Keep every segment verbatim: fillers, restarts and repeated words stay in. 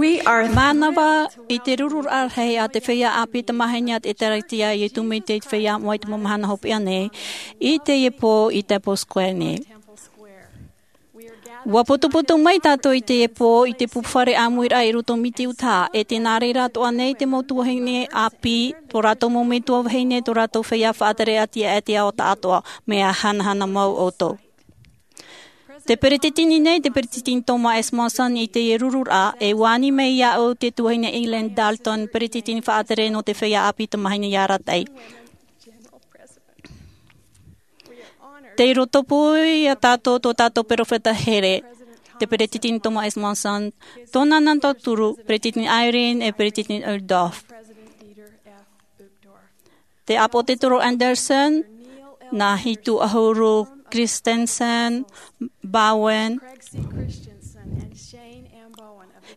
Mānava i te rururaʻa rahi a te feiā ʻāpī tamāhine a te ʻĒtārētia i ʻō mai te feiā moʻa i te mau mahana hopeʻa nei, i teie pō i Temple Square nei. ʻUa putuputu mai tātou i teie pō i te pū fare ʻāmuiraʻa i roto Miti, Utah, e tē nā reira atoʻa nei te mau tuahine ʻāpī, tō rātou mau metua vahine, tō rātou feiā faʻatere ʻātiʻa, e te ao taʻatoʻa, mea hanahana mau ʻoutou. Te peretiteni nei, te peretiteni Thomas S. Monson, i teie rururaʻa, e ʻua ani mai iāʻu te tuahine Eileen Dalton, peretiteni faʻatere nō te feiā ʻāpī tamāhine i arataʻi. Tei roto pū ia tātou tō tātou peropheta here, te peretiteni Thomas S. Monson, tōna nā tauturu, peretiteni Eyring e peretiteni Uchtdorf. Te ʻāpōsetolo Andersen, nā Hitu ʻAhuru Christensen, Bowen,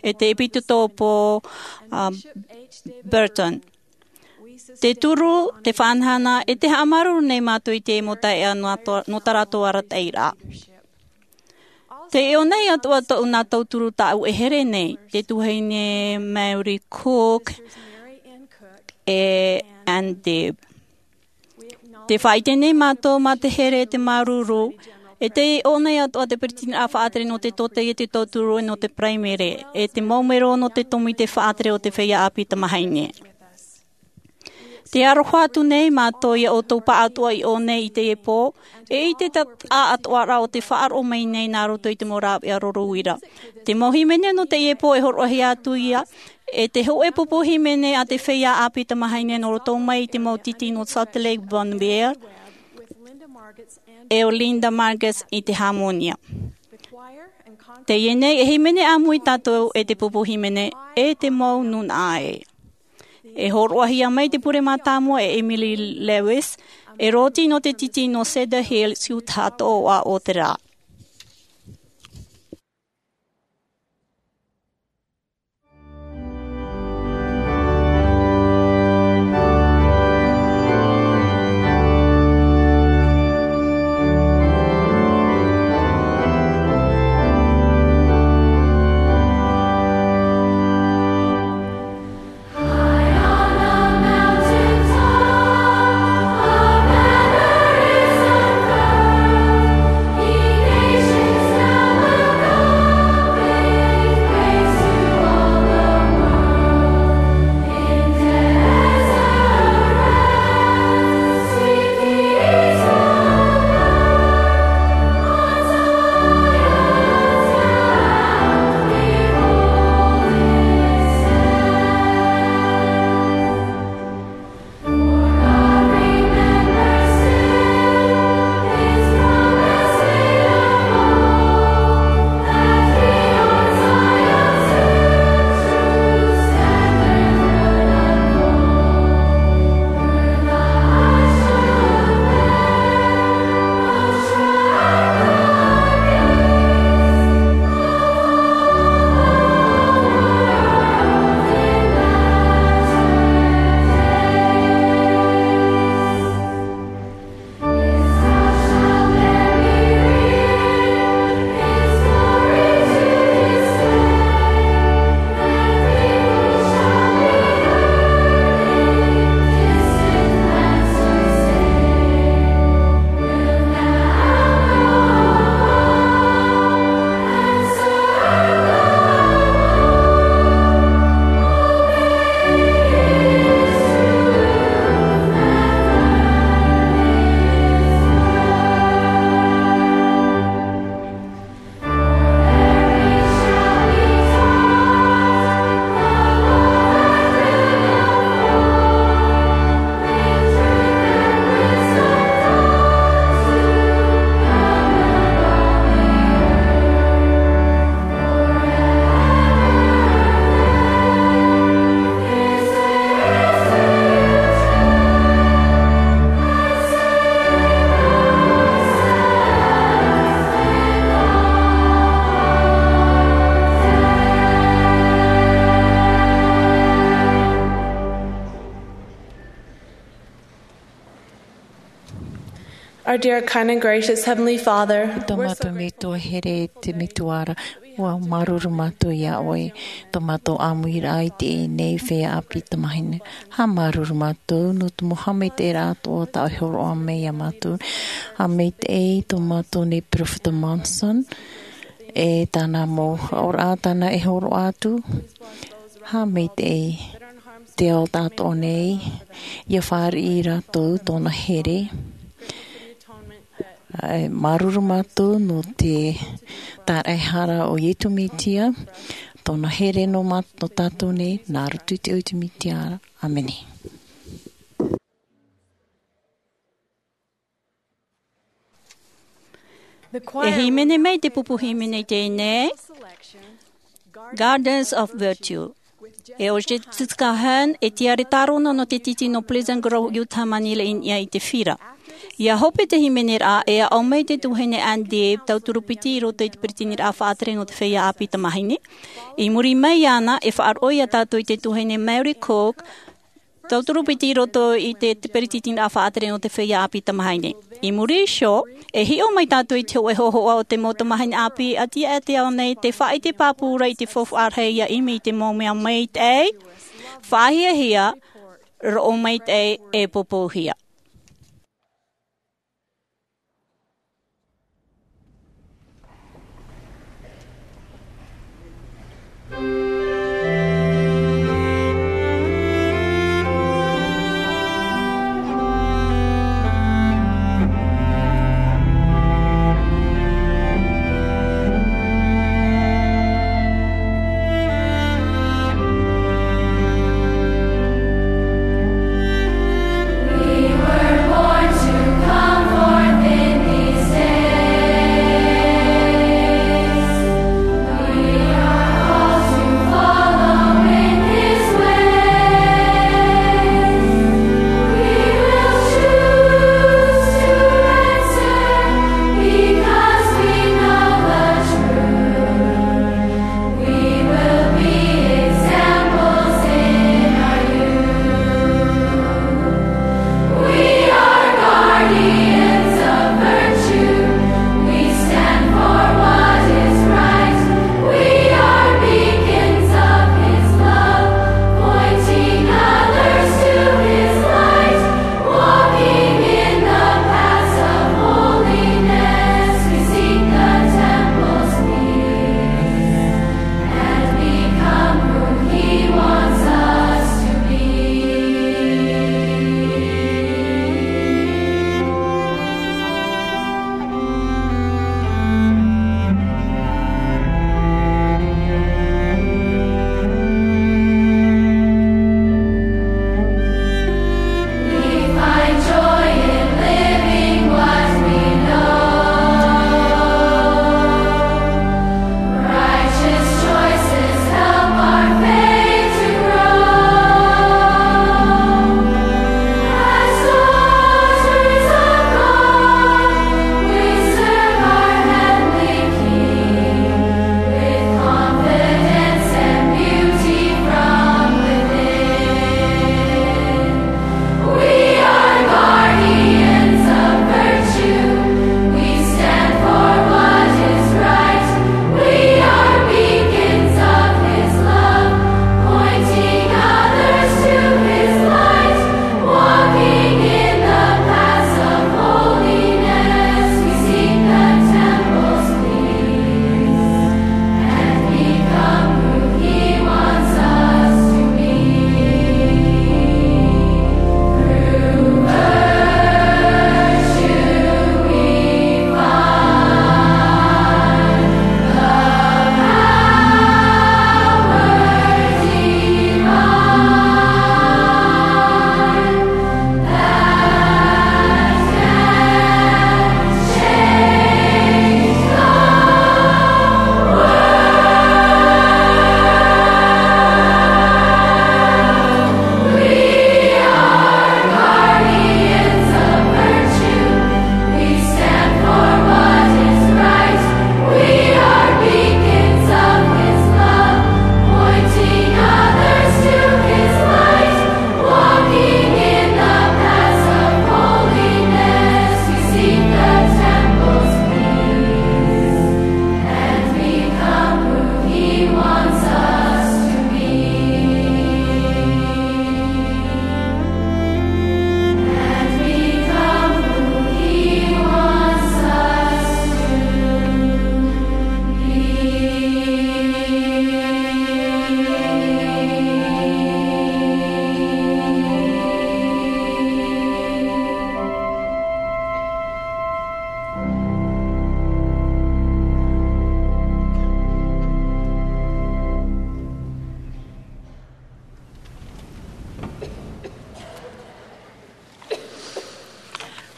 e te ʻEpitokopo, uh, Burton. Te turu, te faʻahanahana, e te haʻamāuruuru nei mātou i te mau taeaʻe nō tā rātou arataʻiraʻa. Tē ʻō nei atoʻa tōʻu nā tauturu tāʻu e here nei, te tuahine Mary Cook e Ann Dibb. Tē faʻaʻite nei mātou mā te here, te māuruuru, e tē ʻō nei atoʻa te peretiteniraʻa faʻatere nō te tōtaiete, tauturu nō te paraimere, e te mau mero nō te tōmite faʻatere o te feiā ʻāpī tamāhine. Tē aroha atu nei mātou ia ʻoutou pāʻatoʻa i ʻō nei i teie pō, e i te taʻatoʻa atoʻa rā o te faʻaroʻo mai nei nā roto i te mau rāveʻa rorouira. Te mau hīmene nō teie pō e hōroʻahia atu ia, e te hōʻē pupu hīmene a te feiā ʻāpī tamāhine nō roto mai i te mau titi nō Salt Lake Bon View, e ʻo Linda Marguts i te hāmōnia. Teie nei e hīmene ʻāmui tātou e te pupu hīmene e te mau nūnaʻa ē. E hōroʻahia mai te pure mātāmua e Emily Lewis, e rōti nō te titi nō Cedar Hills, Utah, toʻoʻa o te rā. Our dear, kind, and gracious Heavenly Father, tō mātou metua here, te metua ra. ʻUa māuruuru mātou iā ʻoe, tō mātou ʻāmuiraʻa i teie nei feiā ʻāpī tamāhine. ʻA māuruuru mātou nō te mau haʻamaitaʻiraʻa atoʻa tā ʻoe e hōroʻa mai iā mātou. Haʻamaitaʻi tō mātou nei peropheta Monson, e tāna mau haʻapiʻiraʻa tāna e hōroʻa atu. Haʻamaitaʻi te ao tātou nei, ʻia fāriʻi rātou tōna here. ʻA māuruuru mātou nō te tāraʻehara o Iesu Mesia, tōna here nō mā-, nō tātou nei, nā roto i te ʻoe Mesia. ʻĀmene. E hīmene mai te pupu hīmene i teie nei, Gardens of Virtue. E ʻo Jessica Hahn, e tiare tārona nō te tītī nō Pleasant Grove, Utah, Manila i niʻa i te fira. ʻIa hope te hīmeneraʻa, e aʻo mai te tuahine Ann Dibb, tauturu piti i roto i te peretiteniraʻa faʻatere nō te feiā ʻāpī tamāhine. I muri mai iāna, e faʻaroʻo ia tātou i te tuahine Mary Cook, tauturu piti i roto i te, te peretiteniraʻa faʻatere nō te feiā ʻāpī tamāhine. I muri iho, e hiʻo mai tātou i te hōʻē hōhoʻa o te mau tamāhine ʻāpī ʻati aʻe i te ao nei, tē faʻaʻite pāpū ra i te faufaʻa rahi ʻia ʻimi i te mau mea maitaʻi, faʻahiahia, roʻo maitaʻi, e popohia.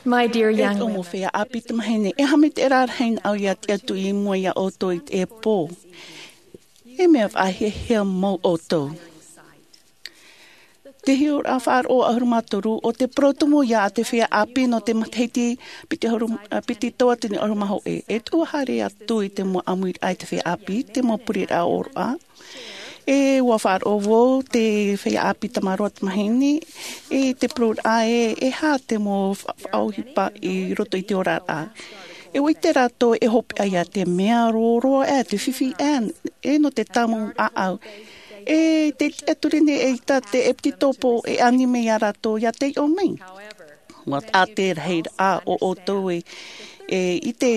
My dear young women, feiā ʻāpī tamāhine, e haʻamaitaʻiraʻa rahi nā ʻoe ia tiʻa atu i mua iā ʻoutou i te pō. E mea faʻahiahia mau ʻoutou. Te hiʻoraʻa faʻaroʻo ʻahuru mā toru, ʻo te parau tumu ia a te feiā ʻāpī nō te matahiti piti ʻahuru, ā, piti tauatini ʻahuru mā hōʻē. E tuʻu haere atu i te mau ʻāmuiraʻa e te feiā ʻāpī, te mau pureraʻa ʻōroʻa. E ʻua faʻaroʻo vau te feiā ʻāpī tamaroa tamāhine, e te pureraʻa e, e aha te mau fa-, faʻaʻohipa i roto i te oraraʻa. E ʻua ʻite rātou e hopeʻa ia te mea roroa ʻē, te fifi ʻē, e nō te tāmau ʻāʻau. E te tiʻa ture nei e ʻaita te ʻepitetopo e anime iā rātou ia taiʻo mai. ʻUa taʻa te rahiraʻa o ʻoutou e, e ʻite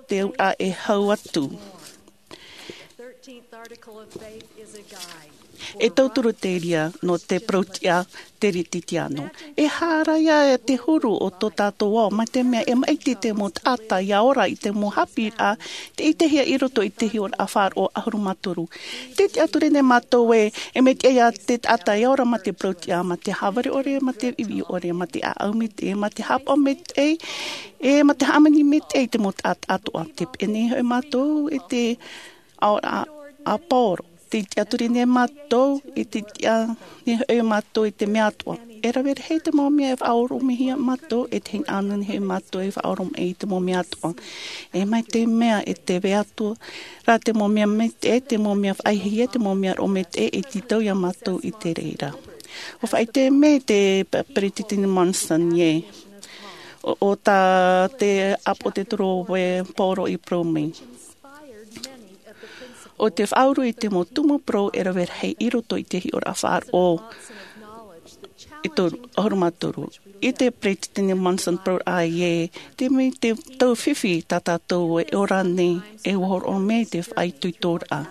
te auraʻa e hau atu. E tauturu te reira nō te parau-tiʻa Teretitiano. E aha ra ia te huru o tō tātou ao, mai te mea e maʻiti te mau taʻata ia ora i te mau haʻapiʻiraʻa tei ʻitehia i roto i te hiʻoraʻa faʻaroʻo ʻahuru mā toru. Tē tiʻaturi nei mātou ē, e mea tiʻa ia te taʻata ia ora mā te parau-tiʻa, mā te haʻavare ʻore, mā te ivi ʻore, mā te ʻāʻau maitaʻi, mā te haʻapaʻo maitaʻi, e mā te hāmani maitaʻi i te mau taʻata atoʻa. Tē peʻe nei hoʻi mātou i te aoraʻa a Pauro. Tē tiʻaturi nei mātou, e tē tiʻa nei hoʻi mātou i te mea atoʻa. E rave rahi te mau mea e faʻaoromihia mātou, e te hinaʻaro nei hoʻi mātou e faʻaoromaʻi i te mau mea atoʻa. E mai te mea e tē vai atu ra te mau mea maitaʻi, te mau mea faʻahiahia, te mau mea roʻo maitaʻi, e tītau iā mātou i te reira. ʻUa faʻaʻite mai te Pe-, Peretiteni Monson ē. ʻO, ʻo tā te ʻāpōsetolo Pauro i parau mai. ʻO te faʻauru i te mau tumu parau e rave rahi i roto i te hiʻoraʻa faʻaroʻo e toru, ʻahuru mā toru. I te Peretiteni Monson parau ē, te mea te tau fifi tā tātou e ora nei, e ʻua hōroʻa mai te faʻaitoitoraʻa.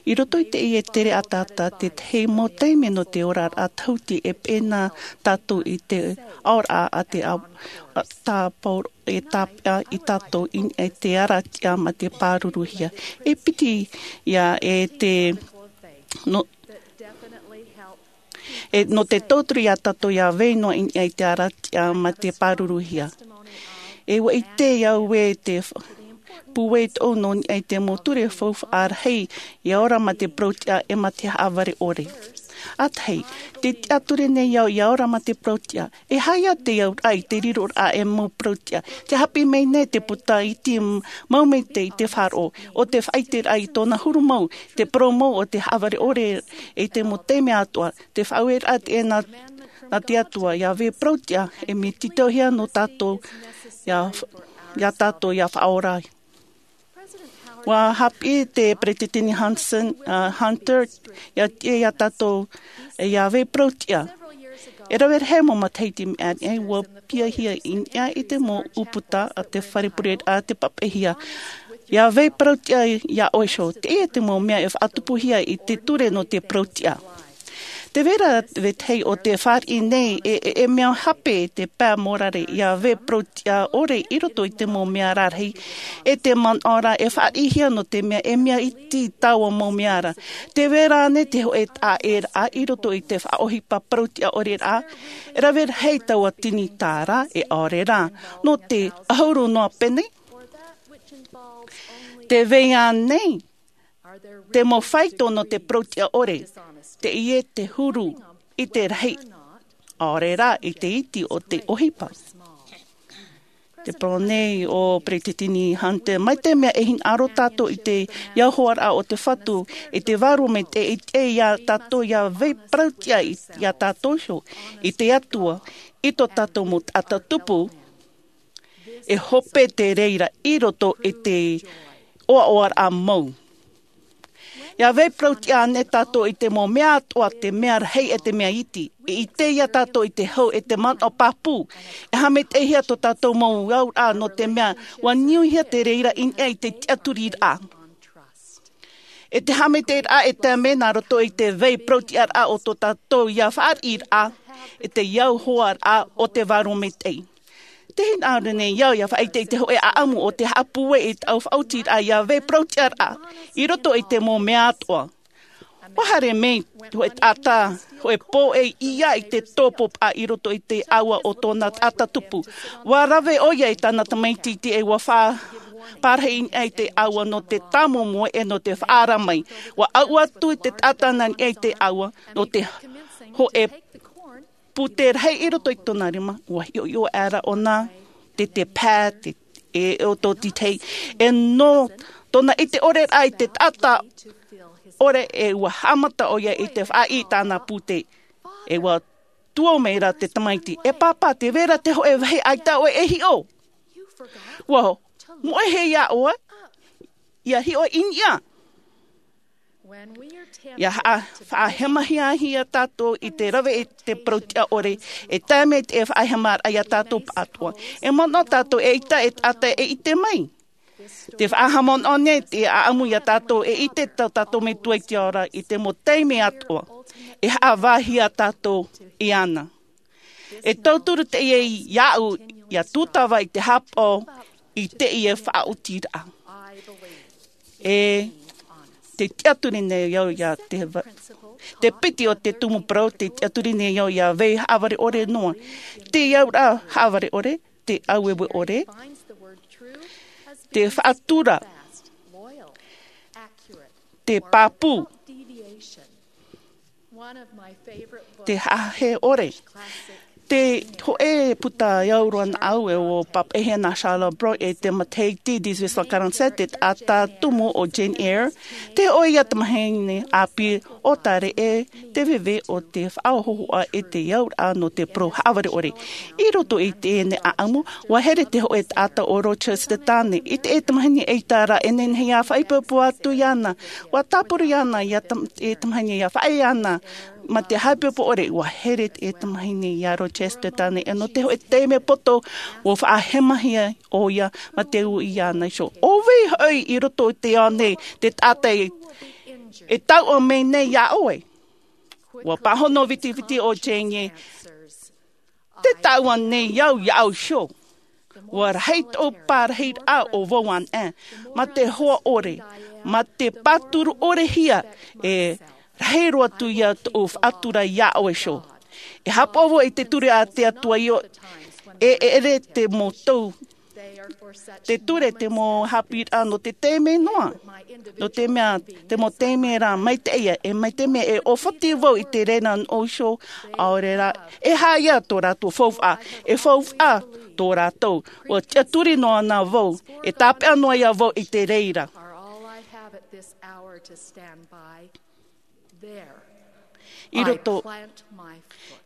I roto i teie tere ʻataʻata, tētahi mau taime nō te oraraʻa tāhuti e peʻe na tātou i te aoraʻa a te a-, a tā Pauro e tāpeʻa ia tātou i niʻa i te aratiʻa mā te pāruruhia. E piti ia e te, nō, e, nō te tauturu iā tātou ia vai noa i niʻa i te aratiʻa mā te pāruruhia. E ʻua ʻite au ē te f-, pūai tōʻu nō niʻa i te mau ture faufaʻa rahi ia ora mā te parau-tiʻa e mā te haʻavare ʻore. ʻA tahi, tē tiʻaturi nei au ia ora mā te parau-tiʻa. E aha ia te auraʻa i te riroraʻa e mau parau-tiʻa? Tē haʻapiʻi mai nei te puta iti m-, mau maitaʻi i te faʻaroʻo, ʻo te faʻaʻiteraʻa i tōna huru mau, te parau mau o te haʻavare ʻore i te mau taime atoʻa, te faʻaueraʻa teie nā, nā te Atua, ia vai parau-tiʻa, e mea tītauhia nō tātou, ia, ia tātou, ia faʻaora. ʻUa haʻapiʻi te Peretiteni Hanson, ā, Hunter, ia tiʻa ia tātou, ia vai parau-tiʻa. E rave rahi mau matahiti mai ʻānei, ʻua piahia i niʻa i te mau ʻūputa a te fare pureraʻa te papaʻihia. Ia vai parau-tiʻa iā ʻoe iho. Teie te mau mea e faʻatupuhia i te ture nō te parau-tiʻa. Tē vai ra vetahi ʻo tē fāriʻi nei e, e, e mea hape te pae mōrare ia vai parau-tiʻa ʻore i roto i te mau mea rarahi, e te manaʻo ra e fāriʻihia nō te mea e mea iti taua mau mea ra. Tē vai ra ānei te hōʻē taʻaʻēraʻa i roto i te faʻaʻohipa parau-tiʻa ʻore ra? E rave rahi taua tinitā ra, e ʻaore rā, nō te ʻahuru noa pene? Tē vai ānei te mau faito nō te parau-tiʻa ʻore, teie te huru i te rahi, ʻaore rā i te iti o te ʻohipa. Te parau nei ʻo Peretiteni Hunter, mai te mea e hinaʻaro tātou i te auhoaraʻa o te Fatu, i te vārua maitaʻi, e tiʻa ia tātou ia vai parau-tiʻa i, ia tātou iho, i te Atua, i tō tātou mau taʻata tupu, e hope te reira i roto i te ʻoaʻoaraʻa mau. Ia vai parau-tiʻa ānei tātou i te mau mea atoʻa, te mea rahi e te mea iti, e ʻite ia tātou i te hau e te manaʻo pāpū, e haʻamaitaʻihia tō tātou mau auraʻa nō te mea ʻua niuhia te reira i niʻa i te tiʻaturiraʻa. E te haʻamaitaʻiraʻa e tae mai nā roto i te vai parau-tiʻaraʻa o tō tātou ia fāriʻiraʻa, e te auhoaraʻa o te vārua maitaʻi. Tē hinaʻaro nei au ia faʻaʻite i te hōʻē ʻāʻamu o te haʻapūai i tāʻu faʻaotiraʻa ia vai parau-tiʻaraʻa i roto i te mau mea atoʻa. Ua haere mai te hōʻē taʻata, hōʻē pōʻe ia i te tōpōpaʻa i roto i te ʻāua o tōna taʻata tupu. Ua rave ʻoia i tāna tamaiti iti ʻe ua fa-, parahi i niʻa i te ʻāua nō te tāmomoe ʻe nō te faʻaara mai. Ua ʻau atu i te taʻata nā niʻa i te ʻāua nō te hōʻē pūtē rahi i roto i tōna rima, ua hiʻohiʻo aʻera ʻōna te, te pae, te, e, o tō titei. ʻE nō tōna ʻite ʻore rā i te taʻata ʻore ʻe ua haʻamata ʻoia i te faʻaʻī i tāna pūtē. ʻE ua tuō mai rā te tamaiti, "E pāpā, tē vai ra te hōʻē vāhi ʻaita ʻoe e hiʻo. Ua moʻehia ʻoe, ʻia hiʻo i niʻa." ʻIa haʻa-, faʻahemahia tātou i te rave i te parau tiʻa ʻore, e tae mai te faʻahemaraʻa ia tātou pāʻatoʻa. E manaʻo tātou e ʻaita e taʻata e ʻite mai. Te faʻahaʻamanaʻo nei te ʻaʻamu ia tātou e ʻite tō tātou Metua i te ao ra i te mau taime atoʻa. E haʻavāhia tātou iāna. E tauturu teie iāʻu, ʻia tūtava i te haʻapaʻo i teie faʻaotiraʻa. E te tiʻaturi nei au ia te va-, te piti o te tumu parau, te tiʻaturi nei au ʻia vai haʻavare ʻore noa. Te auraʻa haʻavare ʻore, te ʻaueue ʻore, te faʻatura, te pāpū, te haʻahaʻa ʻore. Te hōʻē puta e au roa nā ʻu e ʻo papaʻihia nā Charles Brown e te matahiti dix-huit cent quarante-sept, te taʻata tumu ʻo Jane Eyre, te hōʻē ia tamahine ʻāpī ʻo Tare ʻe te veve o te faʻahōhoʻa e te auraʻa nō te parau haʻavare ʻore. I roto i teie nei ʻaʻamu, ua here te hōʻē taʻata ʻo Rochester Tane, i te tamahine ʻaita ra e nehenehe ʻia faʻaipoipo atu iāna, ua tāpura iāna ia tam-, e tamahine ʻia faʻaea iāna, ma te haʻaipoipo ʻore, ua here te tamahine ia Rochester Tane, ʻe nō te hōʻē taime poto, ua faʻahemahia ʻoia, ma te ui iāna iho. ʻO vai hoʻi i roto i te ao nei, te taʻata e, e tauʻa mai nei iā ʻoe? Ua pāhono vitiviti ʻo Jane ē, tē tauʻa nei au iāʻu iho. Ua rahi tōʻu parahiraʻa ʻo vau anaʻe, ma te hoa ʻore, ma te pāturu ʻore hia, e rahi roa atu ia tōʻu faʻatura iā ʻoe iho. E haʻapaʻo vau i te ture a te Atua io, e, e ʻere te mau tau, te ture te mau haʻapiʻiraʻa nō te taime noa. Nō te mea, te mau taime ra maitaʻi ia, e mai te mea e ʻōfati vau i te reira nōʻu iho, ʻaore rā, e aha ia tō rātou faufaʻa, e faufaʻa tō rātou. Ua tiʻaturi noa na vau, e tāpeʻa noa ia vau i te reira. I roto,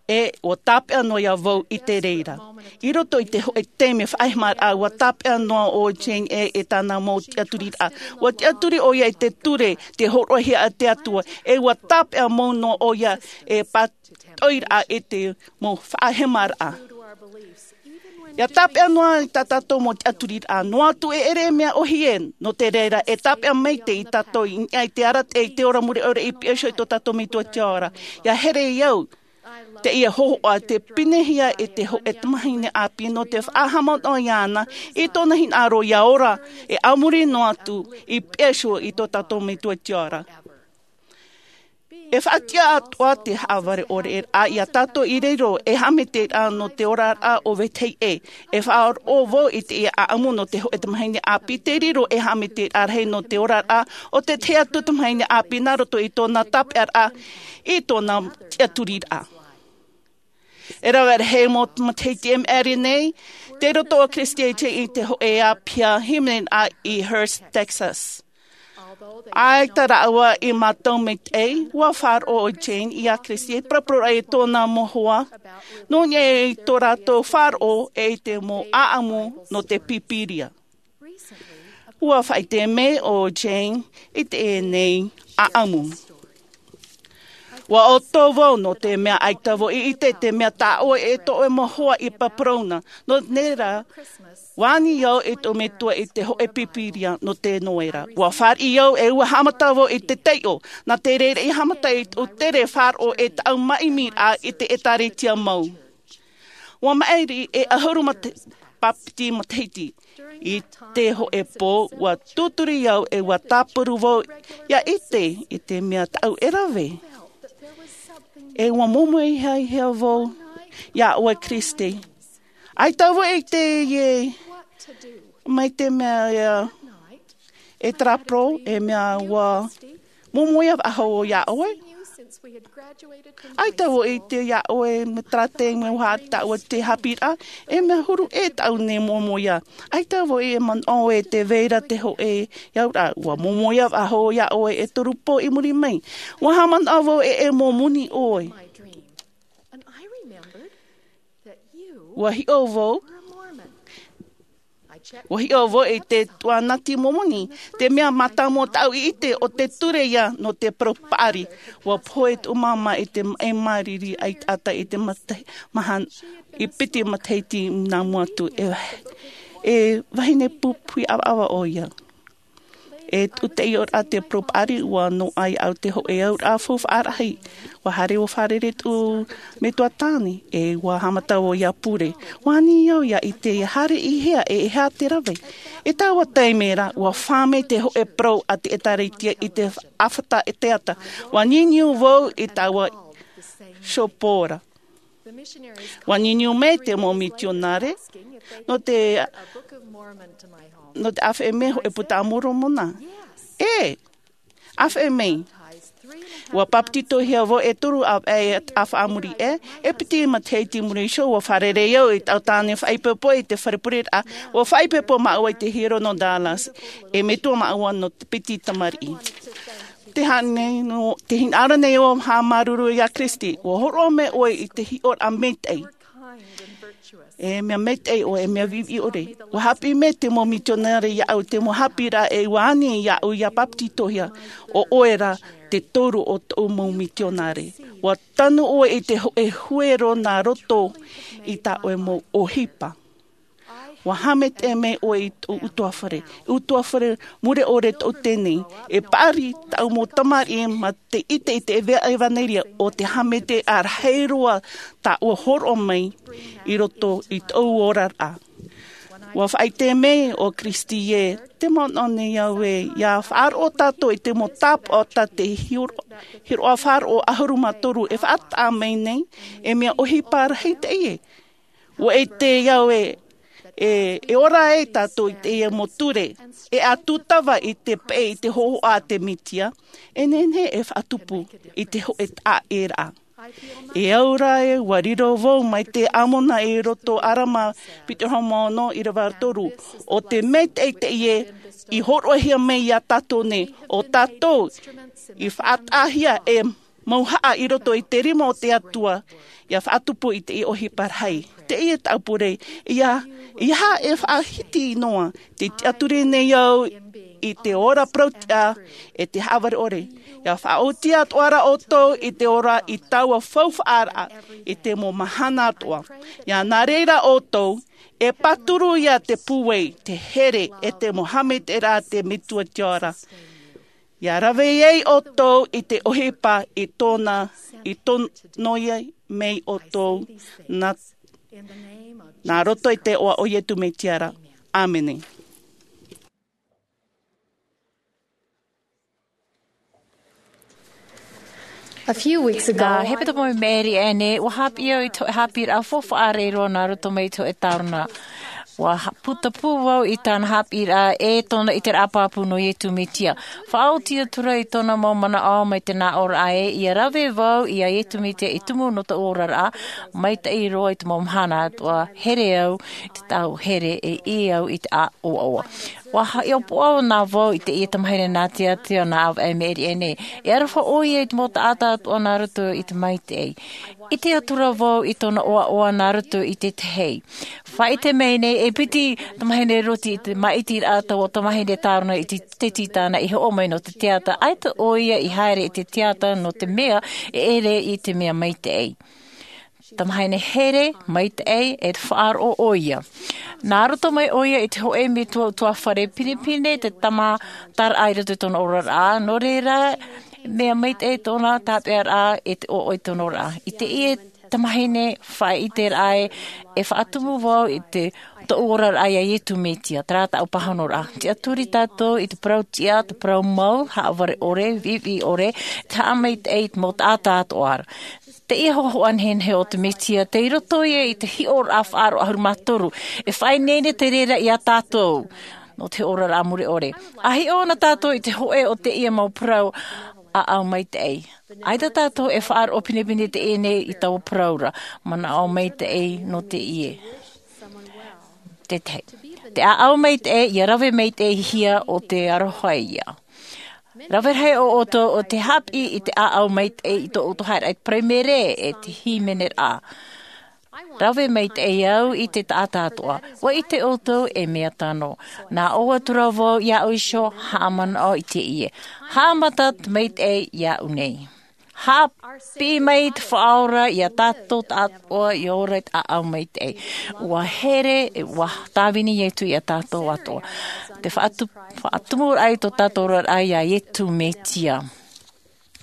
e, ua tāpeʻa noa ia vau i te reira. I roto i te hōʻē taime faʻahemaraʻa, ua tāpeʻa noa ʻo Jane e, e tāna mau tiʻaturiraʻa. Ua tiʻaturi ʻoia i te ture, te hōroʻahia a te Atua, e ua tāpeʻa mau noa ʻoia e pātoʻiraʻa i te mau faʻahemaraʻa. ʻIa tāpeʻa noa i tā tātou mau tiʻaturiraʻa, noa atu e ʻere mea ʻōhie, nō te reira, e tāpeʻa maitaʻi tātou i niʻa i te arataʻi i te ora mure ʻore i piha iho i tō tātou Metua i te ao ra. ʻIa here au, teie hōhoʻa tē pinehia e te hōʻē tamahine ʻāpī nō te faʻahaʻamanaʻo iāna, i tōna hinaʻaro ʻia ora, e a muri noa atu, i piha iho i tō tātou Metua i te ao ra. E faʻatiʻa atoʻa te haʻavare ʻore ra ia tātou i reira, e haʻamaitaʻiraʻa nō te oraraʻa o vetahi ʻē. E faʻaroʻo vau i teie ʻaʻamu nō te hōʻē tamahine ʻāpī tei riro ei haʻamaitaʻiraʻa rahi nō te oraraʻa o te tahi atu tamahine ʻāpī nā roto i tōna tāpeʻaraʻa, i tōna tiʻaturiraʻa. E rave rahi mau matahiti e maʻiri nei, tei roto ʻo Christy Jane i te hōʻē ʻāpī hīmene i Hearst, Texas. ʻAita rāua i mātau maitaʻi, ua faʻaroʻo ʻo Jane ia Christy e paraparau i tōna mau hoa, nō niʻa i tō rātou faʻaroʻo i te mau ʻaʻamu nō te Pīpīria. Ua faʻaʻite mai ʻo Jane i teie nei ʻaʻamu. Ua ʻoto vau nō te mea ʻaita vau i ʻite te mea tāʻoe e tō ʻoe mau hoa i paraparau na. Nō reira, ua ani au i tō Metua i te hōʻē Pīpīria nō te noera. Ua fāriʻi au e ua haʻamata vau i te taiʻo, nā te reira i haʻamata i tō tere faʻaroʻo e tāʻu māʻimiraʻa i te ʻĒtārētia mau. Ua maʻiri e ʻahuru mā te ʻāpiti matahiti. I te hōʻē pō, ua tūturi au e ua tāparu vau ia ʻite i te mea tāʻu e rave. E ua momoʻehia vau iā ʻoe Kristi. ʻAita vau i teie mai te mea ia e tāparu, e mea ua momoʻehia faʻahou iā ʻoe. ʻAita vau i ʻite iā ʻoe me tārate me ua haʻa tāʻu te haʻapiʻiraʻa, e mea huru ʻē tāʻu nei momoʻehia. ʻAita vau e manaʻo e te vai ra te hōʻē auraʻa, ua momoʻehia faʻahou iā ʻoe e toru pō i muri mai. Ua haʻamanaʻo vau e e momoni ʻoe. Ua hiʻo vau, ua hiʻo vau i te tuatāpaparaʻa Momoni, te mea mātāmua tāʻu i ʻite ʻo te ture ia nō te parau paʻari. Ua pohe tōʻu māmā i te maʻi māriri ʻaita i te mata-, mahana, i piti matahiti nā mua atu. E, e vahine pupuhi ʻavaʻava ʻoia. E tūtei ora te parau paʻari, ua noaʻa au te hōʻē auraʻa faufaʻa rahi. Ua haere ua fārerei tōʻu metua tāne, e ua haʻamata vau ia pure. Ua ani au ia ʻite ia haere i hea e e aha te rave. I taua taime ra, ua fā mai te hōʻē parau a te ʻĒtārētia i te ʻāfata e te ata. Ua niuniu vau i taua shopo ra. Ua niuniu mai te mau mitionare nō te, nō te ʻāfaʻi mai hōʻē puta a Moromona. E, ʻāfaʻi mai. Ua papetitohia vau e toru ʻāfaʻi, ʻāfaʻi a muri aʻe, e piti matahiti i muri iho, ua fārerei au i taua tāne faʻaipoipo i te fare pureraʻa, ua faʻaipoipo māua i te hiero nō Dallas, e metua māua nō te piti tamariʻi. Te hānere nei, nō te hinaʻaro nei ʻoe haʻamāuruuru iā Kristi, ua hōroʻa mai ʻoe i te hiʻoraʻa maitaʻi. E mea maitaʻi ʻoe, e mea viʻiviʻi ʻore. Ua haʻapiʻi mai te mau mitionare iāʻu, te mau haʻapiʻiraʻa e ua ani iāʻu ia papetitohia, ʻo ʻoe rā te toru o tōʻu mau mitionare. Ua tanu ʻoe i te hōʻē huero nā roto i tā ʻoe mau ʻohipa. Ua haʻamaitaʻi mai ʻoe i tōʻu ʻutuāfare. ʻUtuāfare mure ʻore tōʻu teie. E paʻari tāʻu mau tamariʻi mā te ʻite i te ʻeva-, ʻevanelia ʻo te haʻamaitaʻiraʻa rahi roa tāʻu hōroʻa mai i roto i tōʻu oraraʻa. Ua faʻaʻite mai ʻo Kristi ē, tē manaʻo nei au ē, ʻia faʻaroʻo tātou i te mau tāpaʻo tā te hiro-, hiroʻa faʻaroʻo ʻahuru mā toru e faʻataʻa mai nei, e mea ʻohipa rahi teie. Ua ʻite au ē, e, e ora ai tātou i teie mau ture, e ʻa tūtava i te peʻe i te hōhoʻa a te Mesia, e nehenehe e faʻatupu i te hōʻē taʻa ʻē ra. E au ra ē, ua riro vau mai te ʻāmona i roto ʻĀrama piti ʻahuru mā ono ʻīrava toru, ʻo te maitaʻi teie i hōroʻahia mai iā tātou nei, ʻo tātou i faʻataʻahia e mauhaʻa i roto i te rima o te Atua, ʻia faʻatupu i te ʻohipa rahi. Teie tāʻu pure, ʻia, ʻeiaha e faʻahiti noa, tē tiʻaturi nei au i te ora parau tiʻa e te haʻavare ʻore. ʻIa faʻaoti atoʻa ra ʻoutou i te ora i taua faufaʻaraʻa i te mau mahana atoʻa. ʻIa nā reira ʻoutou, e pāturu ia te pūai, te here, e te mau haʻamaitaʻiraʻa a te Metua Tiʻa ra. ʻIa rave ai ʻoutou i te ʻohipa i tōna, i tono ia mai ʻoutou nā, nā roto i te iʻoa o Iesu Mesia ra. ʻĀmene. A few weeks ago, Nā hepetoma i maʻiri aʻe nei, ua haʻapiʻi au i te hōʻē haʻapiʻiraʻa faufaʻa rahi roa nā roto mai i te hōʻē tāvana. Ua ha-, putapū vau i tāna haʻapiʻiraʻa e tōna ʻiteraʻa pāpū nō Iesu Mesia. Faʻaoti atu ra i tōna mau manaʻo mai te nā ʻōraʻa ē, ʻia rave vau iā Iesu Mesia i tumu nō tōʻu oraraʻa, maitaʻi roa i te mau mahana atoʻa, here au i te tau here e ʻī au i te ʻoaʻoa. Ua haʻapiʻi ʻoia nā vau i teie tamahine nā te Atua nā ʻāvaʻe i maʻiri aʻe nei. E aroha ʻoia i te mau taʻata atoʻa nā roto i te maitaʻi. ʻIte atu ra vau i tōna ʻoaʻoa nā roto i te tahi. Faʻaʻite mai nei, e piti tamahine roti i te māʻitiraʻa taua tamahine tāvana i te, te tītana i hoʻo mai nō te teata. ʻAita ʻoia i haere i te teata nō te mea e ʻere i te mea maitaʻi. Tamahine here, maitaʻi, e te faʻaroʻo ʻoia. Nā roto mai ʻoia i te hōʻē metua ʻutuāfare pinepine te tāmataraʻa i roto i tōna oraraʻa, nō reira, mea maitaʻi tōna tāpeʻaraʻa e te ʻoaʻoa i tōna oraraʻa. I teie tamahine, faʻaʻite rā ē, e faʻatumu vau i te, tōʻu oraraʻa iā Iesu Mesia, terā tāʻu pāhonoraʻa. Tiʻaturi tātou i te parau tiʻa, te parau mau, haʻavare ʻore, viʻiviʻi ʻore, te haʻamaitaʻi i te mau taʻata atoʻa ra. Teie hōhoʻa nehenehe o te Mesia, tei roto ia i te hiʻoraʻa faʻaroʻo ʻahuru mā toru, e faʻaineine te reira iā tātou, nō te oraraʻa mure ʻore. ʻA hiʻo na tātou i te hōʻē o teie mau parau ʻāʻau maitaʻi. ʻAita tātou e faʻaroʻo pinepine teie nei i taua parau ra, manaʻo maitaʻi nō teie. Te tahi. Te ʻāʻau maitaʻi, ʻia rave maitaʻihia ʻo te aroha ia. Rave rahi ʻo ʻoutou ʻo tē haʻapiʻi i te ʻāʻau maitaʻi i tō ʻoutou haereraʻa i te paraimere e te hīmeneraʻa. Rave maitaʻi au i te taʻata atoʻa. ʻUa ʻite ʻoutou e mea tano. Nā ʻō atu ra vau iāʻu iho, haʻamanaʻo i teie. Haʻamata te maitaʻi iāʻu nei. Haʻapiʻi mai te Faʻaora iā tātou atoʻa ʻia ora i te ʻāʻau maitaʻi. ʻUa here, ʻua tāvini Iesu iā tātou atoʻa. Te faʻatu-, faʻatumuraʻa i tō tātou oraraʻa iā Iesu Mesia.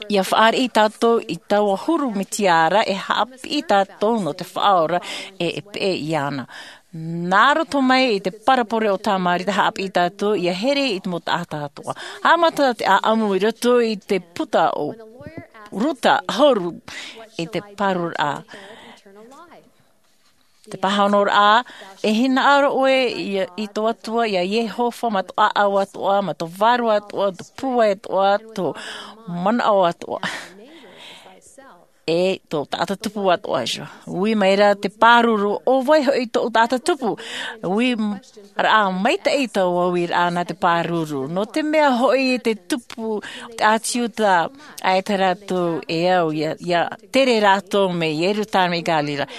ʻIa fāriʻi tātou i taua huru Mesia ra e haʻapiʻi tātou nō te Faʻaora e, e peʻe iāna. Nā roto mai i te parabole o Samaria tē haʻapiʻi tātou ʻia here i te mau taʻata atoʻa. Haʻamata te ʻāʻamu i roto i te puta o Ruta ʻahuru i te pāruriraʻa. Te pāhonoraʻa, e hinaʻaro ʻoe i, i tō Atua, iā Iehova, mā tō ʻāʻau atoʻa, mā tō vārua atoʻa, tō pūai atoʻa, tō manaʻo atoʻa. E tō taʻata tupu atoʻa iho. Ui mai ra te pāruru, ʻo vai hoʻi tōʻu taʻata tupu? Ui m-, raʻa maitaʻi taua uiraʻa nā te pāruru. Nō te mea hoʻi te tupu, te ʻāti Iuda, ʻaita rātou e au, ʻia, ʻia tere rātou mai Ierusalema i Galilea.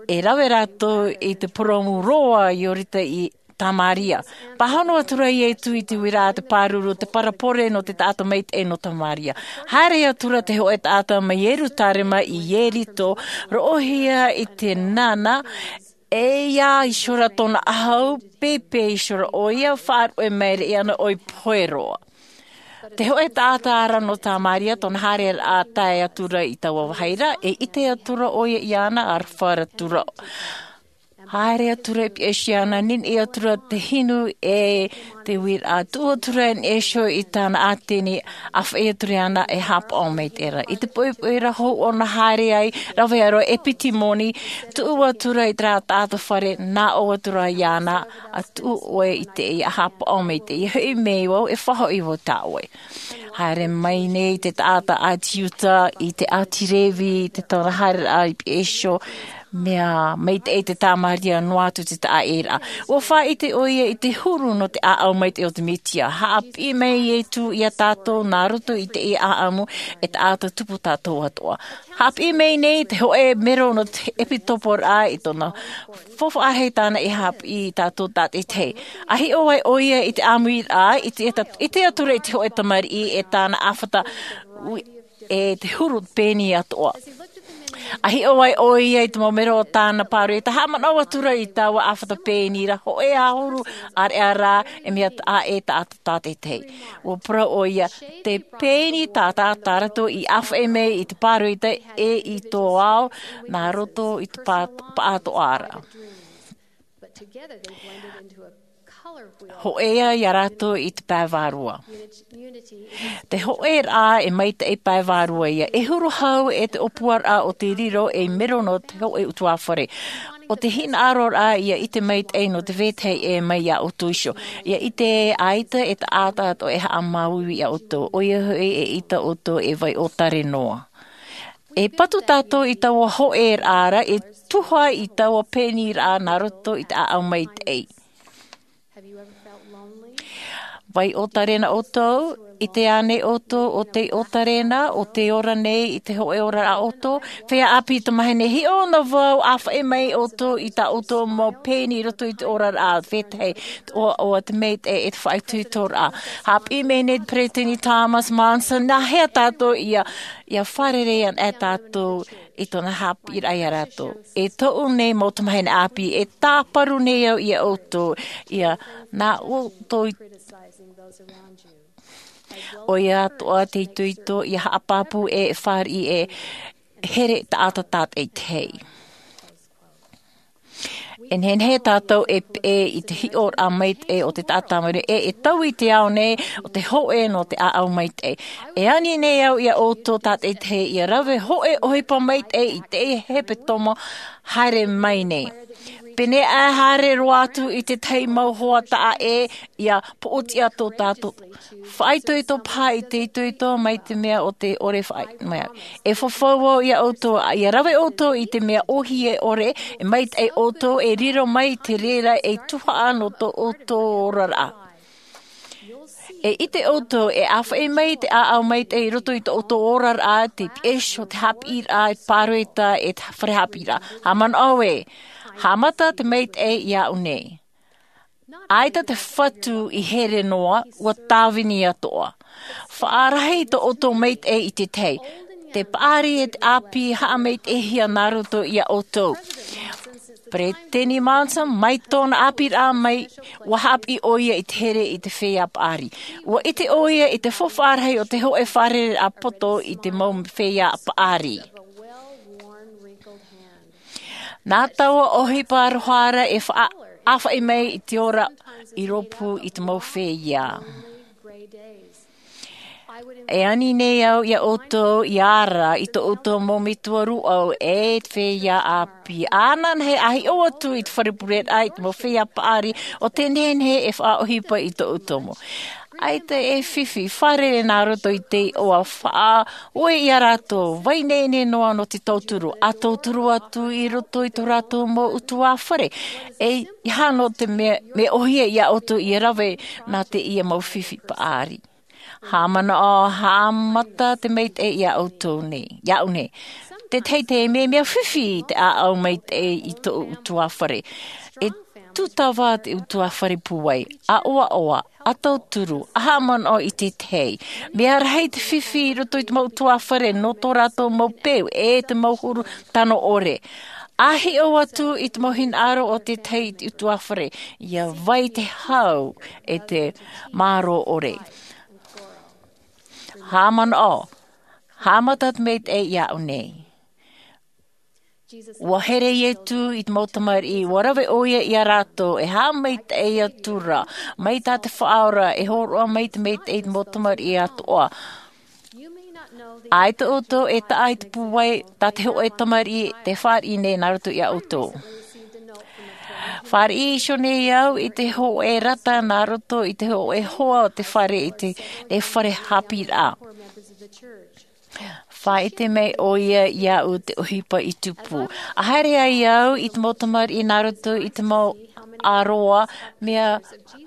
E rave rātou i te purōmu roa Iorita i Samaria. Pāhono atu ra Iesu i te uiraʻa te pāruru, te parabole nō te taʻata maitaʻi nō Samaria. Haere atu ra te hōʻē taʻata mai Ierusalema i Ieriko, roʻohia i te nana, e ʻia iho ra tōna ʻahu, pēpē iho ra ʻoia, faʻaruʻe maere iāna ʻoi pohe roa. Te hōʻē taʻata ra nō Samaria, tōna haereraʻa tae atu ra i taua vāhi ra, e ʻite atu ra ʻoia iāna, ʻa rave atu ra. Haere atu ra i pihaʻi iho iāna, niniʻi atu ra te hinu e te uiraʻa, tuʻu atu ra i niʻa iho i tāna ʻāteni, ʻāfaʻi atu ra iāna e haʻapaʻo maitaʻi ra. I te poʻipoʻi ra hou ʻōna haere ai, rave roa e piti moni, tuʻu atu ra i terā taʻata fare, nā ʻō atu ra iāna, ʻA tuʻu ʻoe i teie, ʻa haʻapaʻo maitaʻi, ʻia hoʻi mai vau, e faʻahoʻi vau tā ʻoe. Haere mai nei te taʻata ʻāti Iuda, i te ʻāti Revi, i te taʻata haereraʻa i pihaʻi iho, mea maitaʻi te Samaria noa atu te taʻaʻēraʻa. ʻUa faʻaʻite ʻoia i te huru nō te ʻāʻau maitaʻi o te Mesia. Haʻapiʻi mai Iesu iā tātou nā roto i teie ʻāʻamu e taʻata tupu tātou atoʻa. Haʻapiʻi mai nei te hōʻē mero nō te ʻepisekoporaʻa i tōna faufaʻa rahi tāna e haʻapiʻi iā tātou tātaʻitahi. ʻA hiʻo ai ʻoia i te ʻāmuiraʻa, i te, i te, ʻite atu ra i te hōʻē tamariʻi e tāna ʻāfata, ui, e te huru pēni atoʻa. ʻA hiʻo ai ʻoia i te mau mero o tāna pāroita, haʻamanaʻo atu ra i taua ʻāfata pēni ra, hōʻē ʻahuru ʻāreʻa rā, e mea taʻa e taʻata tātaʻitahi. ʻUa parau ʻoia, te pēni tātaʻitahi rātou i ʻāfaʻi mai i te pāroita e i tō ao, nā roto i te pā-, paʻatoʻaraʻa. Hōʻē ia rātou i te pae vārua. Te hōʻēraʻa e maitaʻi pae vārua ia. E huru hau e te ʻōpuaraʻa o te riro ei mero nō te hōʻē ʻutuāfare. ʻO te hinaʻaroraʻa ia ʻite maitaʻi nō te vetahi e mai iā ʻoutou iho. Ia ʻite ē ʻaita e taʻata atoʻa e haʻamāuiui iā ʻoutou. ʻOia hoʻi e ʻita ʻoutou e vai ʻōtare noa. E patu tātou i taua hōʻēraʻa ra, e tuha i taua pēniraʻa nā roto i te ʻāʻau maitaʻi. Vai ʻōtare na ʻoutou, ʻite ānei ʻoutou ʻo tei ʻōtare na, ʻo tei ora nei i te hōʻē oraraʻa ʻoutou? Feiā ʻāpī tamāhine, hiʻo na vau, ʻāfaʻi mai ʻoutou i tā ʻoutou mau pēni i roto i te oraraʻa, vetahi, te ʻoaʻoa, te maitaʻi, e te faʻaitoitoraʻa. Haʻapiʻi mai nei te peresideni Thomas Monson, nā hea tātou ia, ia fārerei ana e tātou i tōna haʻapiʻiraʻa iā rātou. E tōʻu nei mau tamāhine ʻāpī, e tāparu nei au iā ʻoutou, ia nā ʻoutou i, ʻoia atoʻa te itoito, ia haʻapāpū e, e fāriʻi e, here taʻata tātaitahi. E nehenehe tātou e peʻe i te hiʻoraʻa maitaʻi o te taʻata mare e e taui i te ao nei o te hoʻe nō te ʻāʻau maitaʻi. E ani nei au iā ʻoutou tātaitahi ia rave hoʻe ʻohipa maitaʻi i te hepetoma haere mai nei. Pēnei e haere roa atu i te tahi mau hoa taʻa ʻē ia poʻotiʻa tō tātou faʻaitoito paha i te itoito mai te mea o te ʻore faʻaitoito mai. E fafau au iā ʻoutou ia rave ʻoutou i te mea ʻohie ʻore e maitaʻi ʻoutou e riro mai te reira e tuhaʻa nō tō ʻoutou oraraʻa. E ʻite ʻoutou e ʻāfaʻi mai te ʻāʻau maitaʻi i roto i tō ʻoutou oraraʻa te piʻeso te hāpiʻiraʻa e pāroita e te fare hāpiʻiraʻa. Haʻamanaʻo ē haʻamata te maitaʻi iā ʻu nei. ʻAita te fatu i here noa ua tāvini atoʻa. Faʻarahi tō ʻoutou maitaʻi i te tahi te paʻari e te ʻāpī haʻamaitaʻihia nā roto iā ʻoutou. Peresideni Monson mai tōna ʻāpīraʻa mai ua hāpiʻi ʻo ia i te here i te feiā paʻari. Ua ʻite ʻo ia i te faufaʻa rahi o te hoʻe fare a poto i te mau feiā paʻari. Nā taua ʻohipa aroha ra e faʻaʻāfaʻi mai i te ora i rōpū i te mau feiā. E ani nei au iā ʻoutou i ara i tō ʻoutou mau metua rūʻau e te feiā ʻāpī ānānahi a hiʻo atu i te fare pureraʻa i te mau feiā paʻari o te nehenehe e faʻaʻohipa i tō ʻoutou mau. ʻAita e fifi fare nā roto i te iʻoa faʻaue iā rātou vai nei nei noa nō te tauturu a tauturu atu i roto i tō rātou mau utuāfare e i hano te mea me ʻohie iā ʻoutou ia rave nā te ia mau fifi paʻari. Haʻamanaʻo haʻamata te maitaʻi iā ʻoutou nei iā ʻu nei. Te teitei mea mea fifi te ʻāʻau maitaʻi i tō utuāfare. E tūtava te utuāfare pūai a ʻoaʻoa a tauturu a haʻamanaʻo i te tahi. Mea rahi te fifi i roto i te mau utuāfare nō tō rātou mau peu e te mau huru tano ʻore. A hiʻo atu i te mau hinaʻaro o te tahi i te utuāfare ia vai te hau e te mārō ʻore. Haʻamanaʻo haʻamata te maitaʻi iā ʻu nei. Ua here iesu i te mau tamariʻi ua rave ʻo ia iā rātou e haʻamaitaʻi atu ra mai tā te faʻaora e hōroʻa mai te maitaʻi i te mau tamariʻi atoʻa. ʻAita ʻoutou e taʻa i te pūai tā te hoʻe tamariʻi te fāriʻi nei nā roto iā ʻoutou. Fāriʻi iho nei au i te hoʻe rata nā roto i te hoʻe hoa o te fare i te nei fare hāpiʻiraʻa. Faʻaʻite mai ʻo ia iā ʻu te ʻohipa i tupu a haere ai au i te mau tamariʻi nā roto i te mau ʻaroa mea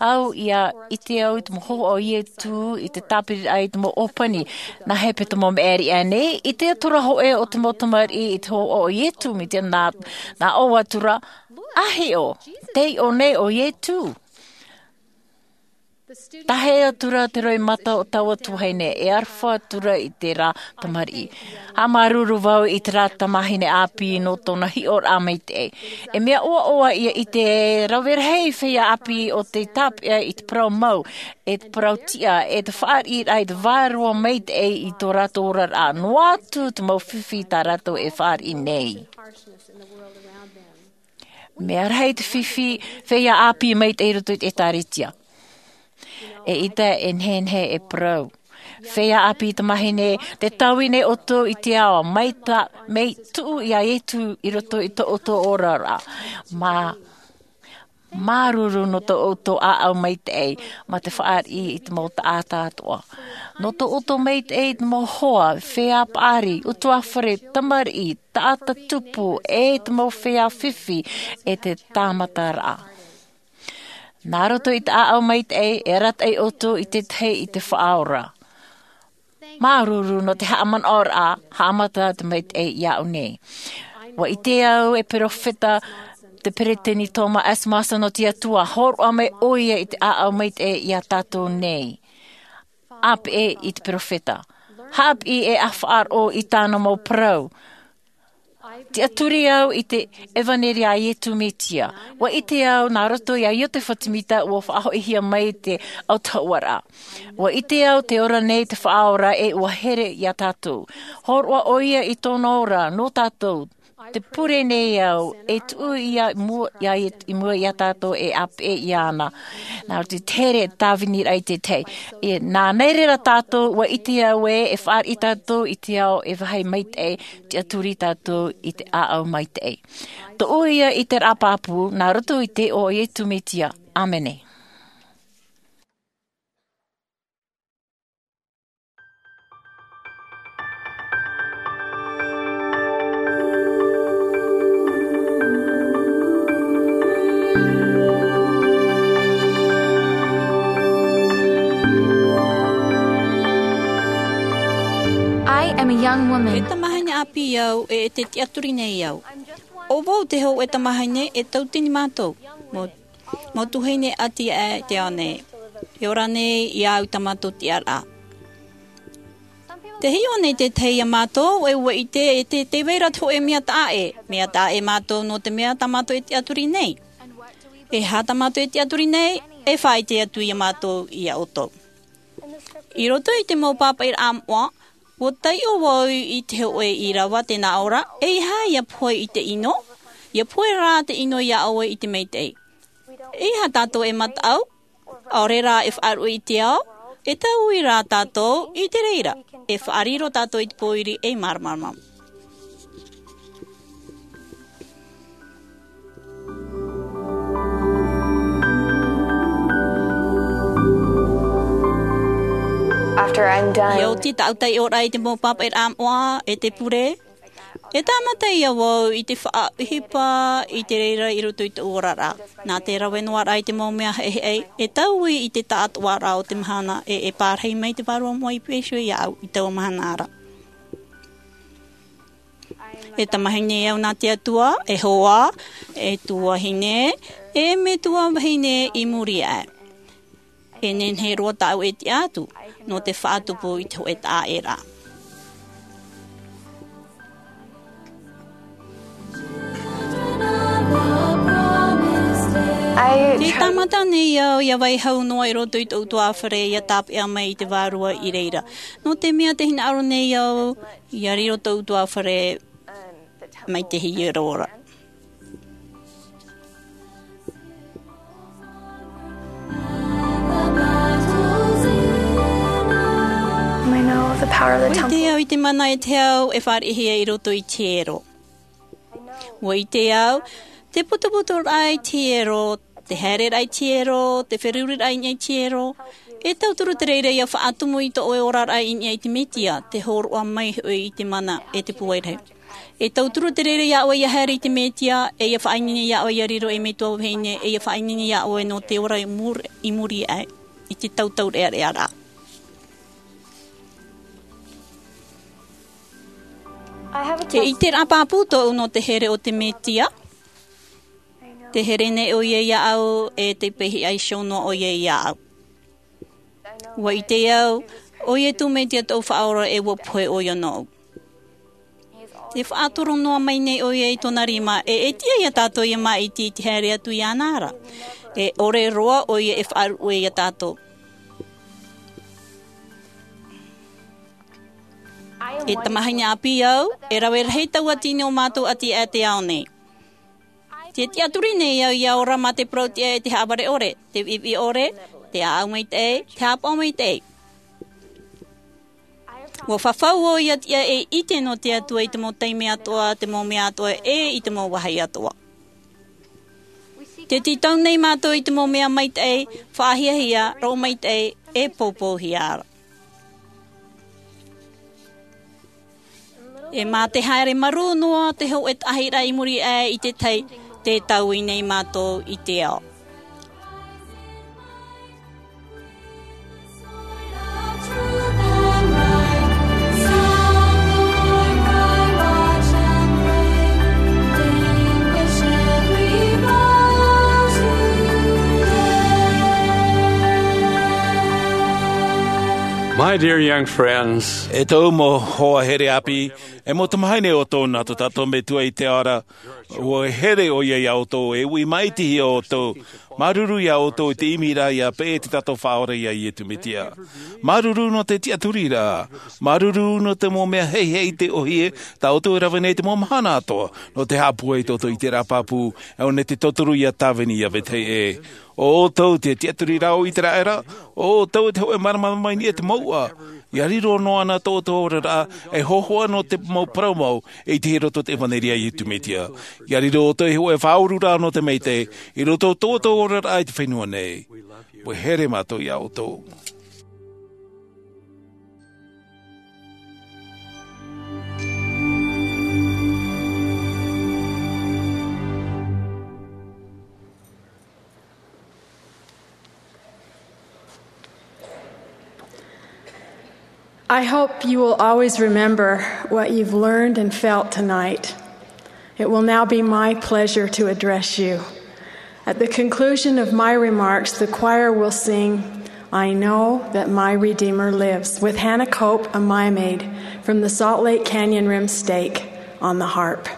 au ia ʻite au i te mau hoa o iesu i te tāpiriraʻa i te mau ʻōpani. Nā hepetoma maʻiri ʻanei i te atura hoʻe o te mau tamariʻi i te hoa o iesu me te nā nā ʻō atura a hiʻo te iʻo nei o iesu. Tahe atura te roimata o taua tuahine e aroha atura i tērā tamariʻi. Haʻamāuruuru vau i tērā tamahine ʻāpī nō tōna hiʻoraʻa maitaʻi. E mea ʻoaʻoa ia ʻite e rave rahi feiā ʻāpī o te tāpeʻa i te parau mau e te parau tiʻa e te fāriʻiraʻa i te vārua maitaʻi i tō rātou oraraʻa noa atu te mau fifi tā rātou e fāriʻi nei. Mea rahi te fifi feiā ʻāpī maitaʻi i roto i te ʻēkālesia. E ʻita e nehenehe e parau feiā ʻāpī tamahine te taui nei ʻoutou i te ao mai tā mei tuʻu iā iesu i roto i tō ʻoutou oraraʻa. Mā māuruuru nō tō ʻoutou ʻāʻau maitaʻi mā te fāriʻi i te mau taʻata atoʻa. Nō tō ʻoutou maitaʻi i te mau hoa feiā paʻari utuāfare tamariʻi taʻata tupu e te mau feiā fifi e te tāmataraʻa. Nā roto i te ʻāʻau maitaʻi e arataʻi ʻoutou i te tahi i te faʻaora. Māuruuru nō te haʻamanaʻoraʻa haʻamata te maitaʻi iā ʻu nei. Ua ʻite au e peropheta te peresideni thomas s monson o te atua hōroʻa mai ʻo ia i te ʻāʻau maitaʻi iā tātou nei. Apeʻe i te peropheta haʻapiʻi e ʻafaʻaroʻo i tāna mau parau. Tiʻaturi au i te ʻevaneria a Iesu Mesia. Ua ʻite au nā roto iā Iosepha Semita ua faʻahoʻihia mai te autahuʻaraʻa. Ua ʻite au te ora nei te Faʻaora e ua here iā tātou. Hōroʻa ʻoia i tōna ora nō tātou. Te pure nei au, e tuʻu ia i mua, ia, i mua iā tātou e ʻāpeʻe iāna. Nā roto i te here tāviniraʻa i te tahi. E, nā, nā reira tātou, ua ʻite au ē, e fāriʻi tātou i te ao e vāhi maitaʻi, tiʻaturi tātou i te ʻāʻau maitaʻi. Tōʻu ia ʻiteraʻa pāpū, nā roto i te iʻoa o Iesu Mesia. ʻĀmene. I am a young woman. E tamahine ʻāpī au, e, e te tiʻaturi nei au. ʻO vau te hōʻē tamahine, e tautini mātou. Mau, mau tuahine ʻati aʻe i te ao nei. E ora nei iā ʻu i tā mātou tiʻaraʻa. Tē hiʻo nei te tahi iā mātou, e ʻua ʻite, e te, tē vai ra te hōʻē mea taʻa ʻē. Mea taʻa ʻē mātou nō te mea tā mātou e tiʻaturi nei. E aha tā mātou e tiʻaturi nei, e faʻaʻite atu iā mātou iā ʻoutou. I roto i te mau pāpaʻiraʻa moʻa, ʻua taiʻo vau i te hōʻē ʻīrava tē nā ʻō ra, e aha ia pohe i te ʻino, ia pohe rā te ʻino iā ʻoe i te maitaʻi. E aha tātou e mataʻu, ʻaore rā e faʻaruʻe i te ao, e taui rā tātou i te reira, e faʻariro tātou i te pōiri ei māramarama. After I'm done. Ia oti tāʻu taiʻoraʻa i te mau pāpaʻiraʻa moʻa e te pure, e tāmata ia vau i te faʻaʻohipa i te reira i roto i tōʻu oraraʻa. Nā te rave noa ra i te mau mea heʻeheʻe, e taui i te taʻatoʻaraʻa o te mahana e, e pārahi mai te Vārua Moʻa i Iperesia iāʻu i taua mahana ra. E tamahine au nā te Atua, e hoa, e tuahine, e metua vahine i muri aʻe. E nehenehe roa tāʻu e tiʻa atu, nō te faʻatupu i te hōʻē taʻa ʻē ra. I Te tāmata nei au, ia vai hau noa i roto i tōʻu ʻutuāfare, ia tāpeʻa mai i te Vārua i reira. Nō te mea tē hinaʻaro nei au, ia riro tōʻu ʻutuāfare mai te hiero ra. I know the power of the temple. ʻUa ʻite au i te mana e te hau e fāriʻihia i roto i te hiero. ʻUa ʻite au, te putuputu raʻa i te hiero, te haereraʻa i te hiero, te feruriraʻa i niʻa i te hiero, e tauturu te reira ia faʻatumu i tō ʻoe oraraʻa i niʻa i te Mesia, te hōroʻa mai hoʻi i te mana e te pūai rahi. E tauturu te reira iā ʻoe ia haere i te Mesia, e ia faʻaineine iā ʻoe ia riro ei metua vahine, e ia faʻaineine iā ʻoe nō te ora i muri, i muri aʻe, i te tautaureʻareʻa ra. E ʻiteraʻa pāpū tōʻu nō te here o te Mesia. Tē here nei ʻoia iāʻu, e tē pīhaʻi iho noa ʻoia iāʻu. ʻUa ʻite au, ʻo Iesu Mesia tōʻu Faʻaora, e ʻua pohe ʻoia nōʻu. Tē faʻatoro noa mai nei ʻoia i tōna rima, e, e tiʻa iā tātou ia māʻiti i te haere atu iāna ra. E ʻore roa ʻoia e faʻaruʻe iā tātou. E tamahine ʻāpī au, e rave rahi taua tino o mātou ʻati aʻe te ao nei. Tē tiʻaturi nei au ia ora mā te parau tiʻa e te haʻavare ʻore, te viʻiviʻi ʻore, te ʻāʻau maitaʻi, te haʻapaʻo maitaʻi. ʻUa fafau vau ia tiʻa e ʻite nō te Atua i te mau taime atoʻa, te mau mea atoʻa, e i te mau vāhi atoʻa. Tē tītau nei mātou i te mau mea maitaʻi, faʻahiahia, roʻo maitaʻi, e poupouhia ra. E mā te haere marū noa te hōʻē taʻahiraʻa i muri aʻe i te tahi, tē taui nei mātou i te ao. My dear young friends, e tōʻu mau hoa here ʻāpī, e mau tamahine ʻo tōna, tō tātou Metua i te ao ra, ʻua here ʻoia iā ʻoutou, e ui maʻitihia ʻoutou. Māuruuru iā ʻoutou i te ʻimiraʻa ʻia peʻe te tātou Faʻaora iā Iesu Mesia. Māuruuru nō te tiʻaturi ra. Māuruuru nō te mau mea heihei i te ʻōhie tā ʻoutou e rave nei te mau mahana atoʻa, nō te haʻapūai tō ʻoutou i te rā pāpū, e ʻō nei te tauturu ʻia tāvini ʻia vetahi ʻē. ʻO ʻoutou te tiʻaturi ra o ʻĪteraʻera, ʻo ʻoutou te hōʻē māramarama i niʻa i te mouʻa. ʻIa riro noa na tō ʻoutou oraraʻa, e hōhoʻa nō te mau parau mau, e ʻitehia i roto i te ʻevanelia a Iesu Mesia. ʻIa riro ʻoutou ei hōʻē faʻaururaʻa nō te maitaʻi, i roto i tō ʻoutou oraraʻa i te fenua nei. ʻUa here mātou iā ʻoutou. I hope you will always remember what you've learned and felt tonight. It will now be my pleasure to address you. At the conclusion of my remarks, the choir will sing, "I Know That My Redeemer Lives," with Hannah Cope, a Mia Maid, from the Salt Lake Canyon Rim Stake, on the harp.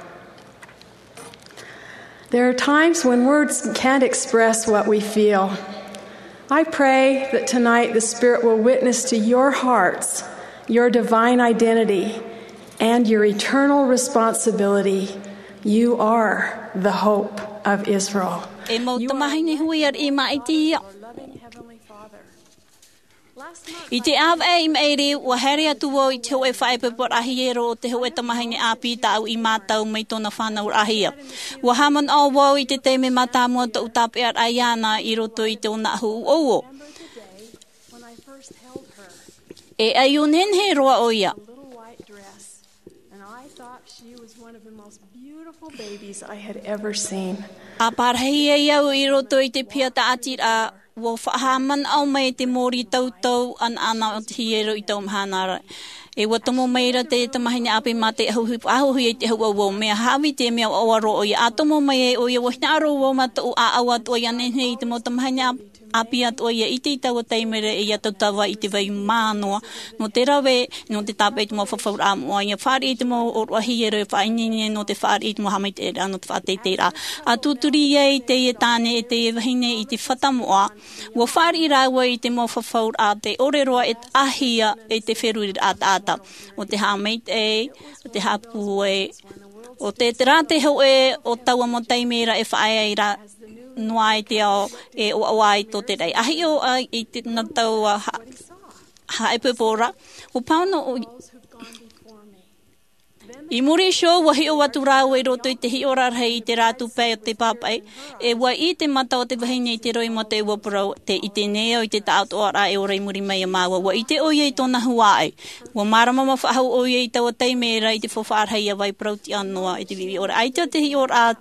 There are times when words can't express what we feel. I pray that tonight the Spirit will witness to your hearts, your divine identity, and your eternal responsibility. You are the hope of Israel. E mau tamahine hui, ʻaita e maʻitihia. I te ʻāvaʻe i maʻiri, ʻua haere atu vau i te hōʻē faʻaipoiporaʻa hiero o te hōʻē tamahine ʻāpī tāʻu i mātau mai tōna fānauraʻahia. ʻUa haʻamanaʻo vau i te taime mātāmua tōʻu tāpeʻaraʻa iāna i roto i tōna ʻahu ʻouʻou. E ʻaiū nehenehe roa ʻoia. And I thought she was one of the most beautiful babies I had ever seen. ʻA pārahi ai au i roto i te piha tāʻatiraʻa, ʻua faʻahaʻamanaʻo mai te mōrī tautau ʻanaʻana o te hiero i taua mahana ra. E ʻua tomo mai ra te tamahine ʻāpī mā te ʻahuhi, ʻahuhi i te ʻahu ʻouʻou, mea hāvī te mea ʻoaʻoa roa ʻoia. ʻA tomo mai ai ʻoia, ʻua hinaʻaro vau mā tōʻu ʻāʻau atoʻa ia nehenehe i te mau tamahine ʻāpī ʻāpī atoʻa ia i teie taua taime ra, e ʻia tautava i te vai mānoa, nō te rave, nō te tāpeʻa i te mau fafauraʻa moʻa, ʻia fāriʻi i te mau ʻōroʻa hiero, e faʻaineine nō te fāriʻi i te mau haʻamaitaʻiraʻa, nō te faʻateiteiraʻa. ʻA tūturi ai teie tāne e teie vahine i te fata moʻa, ʻua fāriʻi rāua i te mau fafauraʻa, tē ʻore roa e taʻahia e te feruriraʻa taʻata. ʻO te haʻamaitaʻi, ʻo te haʻapūai, ʻo te, terā te hōʻē o taua mau taime ra e faʻaea ra noa ai te ao e ʻoaʻoa ai tō te raʻi. ʻA hiʻo ai i te, nā taua ha-, haʻaipoipo ra, ʻua pāhono ʻo-, i muri iho, ʻua hiʻo atu rāua i roto i te hiʻoraʻa rahi i te rātou pae o te pāpaʻi, e ʻua ʻī te mata o te vahine i te roimata, ʻua parau, tē ʻite nei au i te taʻatoʻaraʻa e ora i muri mai iā māua. ʻUa ʻite ʻoia i tōna huaʻai. ʻUa mārama faʻahou ʻoia i taua taime ra i te faufaʻa rahi ʻia vai parau-tiʻa noa i te viʻiviʻi ʻore. ʻAita te hiʻoraʻa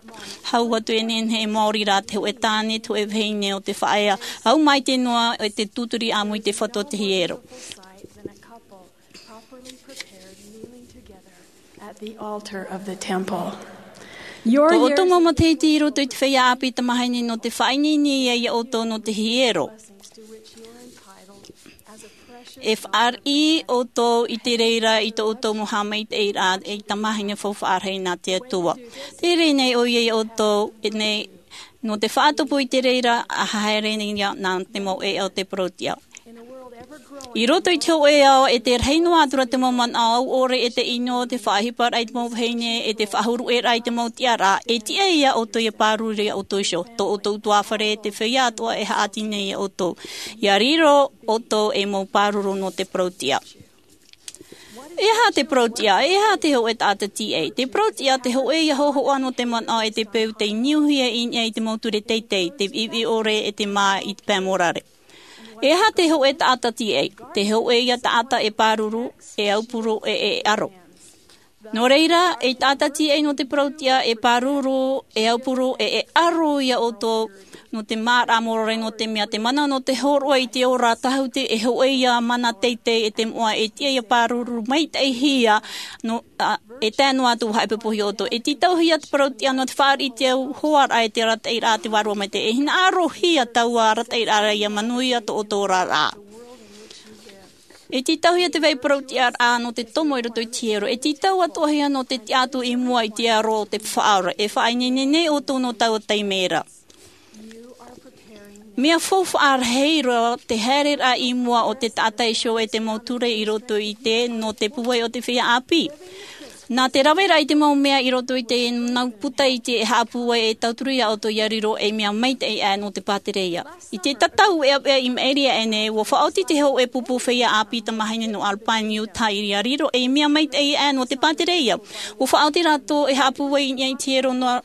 hau atu e nehenehe e maori rā te hōʻē tāne, te hōʻē vahine o te faʻaea. Au maitaʻi noa e te tūturi ʻāmui i te fatu o te hiero. At the altar of the temple. Tō ʻoutou mau matahiti i roto i te feiā ʻāpī tamahine nō te faʻaineine ia ʻoutou nō te hiero. E fāriʻi ʻoutou i te reira i tō ʻoutou mau haʻamaitaʻiraʻa ei tamahine faufaʻa rahi nā te Atua. Tē ʻere nei ʻoia ia ʻoutou, e nei, nō te faʻatupu i te reira, ʻa haere nei ia nā te mau ʻēʻa o te parau-tiʻa. I roto i te hōʻē ao, e te rahi noa atu ra te mau manaʻo ʻore, e te ʻino, te faʻaʻohiparaʻa i te mau vahine, e te faʻahuru ʻē ra i te mau tiʻaraʻa, e tiʻa ia ʻoutou ʻia pāruru ia ʻoutou iho. Tō ʻoutou ʻutuāfare, te feiā atoʻa e haʻati nei ia ʻoutou. ʻIa riro ʻoutou ei mau pāruru nō te parau-tiʻa. E aha te parau-tiʻa? E aha te hōʻē taʻata tīaʻi? Te parau-tiʻa, te hōʻē ia hōhoʻa nō te manaʻo e te peu tei niuhia i niʻa i te mau ture teitei, te viʻiviʻi ʻore e te mā i te pae mōrare. E aha te hōʻē taʻata tīaʻi? Te hōʻē ia taʻata e pāruru, e aupuru, e, e ʻaro. Nō reira, ei taʻata tīaʻi nō te parau-tiʻa, e pāruru, e aupuru, e, e ʻaro ia ʻoutou, nō te māramarama, nō te mea te mana nō te hōroʻa i te ora tāhūhū, e hōʻē ia mana teitei e te moʻa, e tiʻa ia pāruru maitaʻihia, nō, ā, e tae noa atu haʻaipoipohia ʻoutou. E tītauhia te parau-tiʻa nō te fāriʻi i te hoaraʻa e te arataʻiraʻa a te Vārua Maitaʻi. E hinaʻarohia taua arataʻiraʻa ra ʻia manuia tō ʻoutou oraraʻa. E tītauhia te vai parauʻtiʻaraʻa nō te tomo i roto i te hiero. E tītau atoʻahia nō te tiʻa atu i mua i te aro o te faʻaora. E faʻaineine nei ʻoutou nō taua taime ra. Mea faufaʻa rahi roa te haereraʻa i mua o te taʻata iho e te mau ture i roto i te nō te pūai o te feiā ʻāpī. Nā te raveraʻa i te mau mea i roto i te nau puta i te haʻapūai e tauturu iā ʻoutou ia riro ei mea maitaʻi aʻe nō te pātereia. I te tatau ʻeaʻea i maʻiri aʻe nei, ua faʻaoti te hōʻē pupu feiā ʻāpī tamāhine nō Alpine, Utah, ia riro ei mea maitaʻi aʻe nō te pātereia. Ua faʻaoti rātou e haʻapūai i niʻa i te hiero noa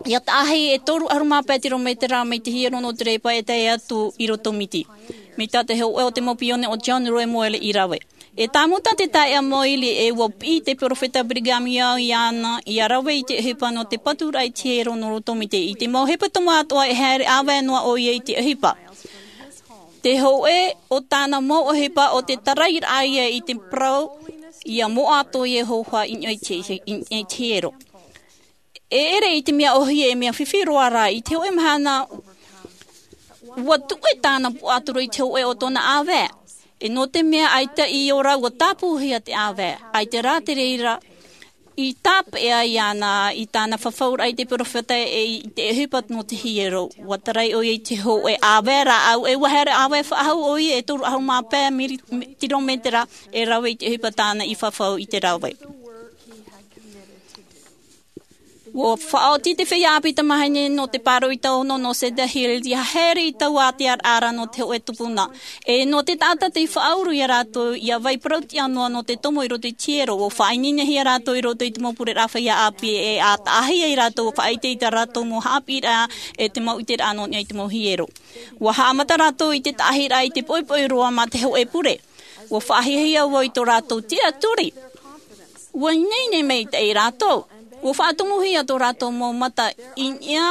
ia taʻahi e toru ʻahuru mā pae tirometera mai te hiero nō te repa e tae atu i roto miti. Mai tā te hōʻē o te mau pione o John Roy Moyle i rave. E tāmau tā te taeaʻe Moyle e ua piʻi te perofeta Brigham Young iāna ia rave i te ʻohipa nō te paturaʻa i te hiero nō roto miti. I te mau hepetoma atoʻa e haere ʻāvae noa ʻoia i te ʻohipa. Te hōʻē o tāna mau ʻohipa o te tarairaʻa ia i te parau, ia moʻa atoʻa ia hōhoʻa i niʻa i te, i niʻa i te hiero. E ʻere i te mea ʻōhie e mea fifi roa rā, i te hōʻē mahana, ua tuʻe tāna puaʻatoro i te hōʻē o tōna ʻāvae. E nō te mea ʻaita i ora, ua tāpūhia te ʻāvae. ʻAita rā te reira, i tāpeʻa iāna i tāna fafauraʻa i te perofeta e i te ʻohipa nō te hiero. Ua tarai ʻoia i te hōʻē ʻāvae rāʻau, e ua haere ʻāvae faʻahou ʻoia e toru ʻahuru mā pae miri-, mi-, tirometera e rave i te ʻohipa tāna i fafau i te rave. Ua faʻaoti te feiā ʻāpī tamāhine nō te pāroita ono nō Cedar Hill, ia haere i taua ʻātiaraʻa nō te hōʻē tupuna. E nō te taʻata tei faʻauru ia rātou, ia vai parauʻtiʻa noa nō te tomo i roto i te hiero, ua faʻaineinehia rātou i roto i te mau pureraʻa feiā ʻāpī e ʻa taʻahi ai rātou, ua faʻaʻite i tā rātou mau haʻapiʻiraʻa e te mau ʻiteraʻa nō niʻa i te mau hiero. Ua haʻamata rātou i te taʻahiraʻa i te poʻipoʻi roa mā te hōʻē pure. Ua faʻahiahia vau i tō rātou tiʻaturi. Ua ineine maitaʻi rātou. Ua faʻatumuhia tō rātou mau mata i niʻa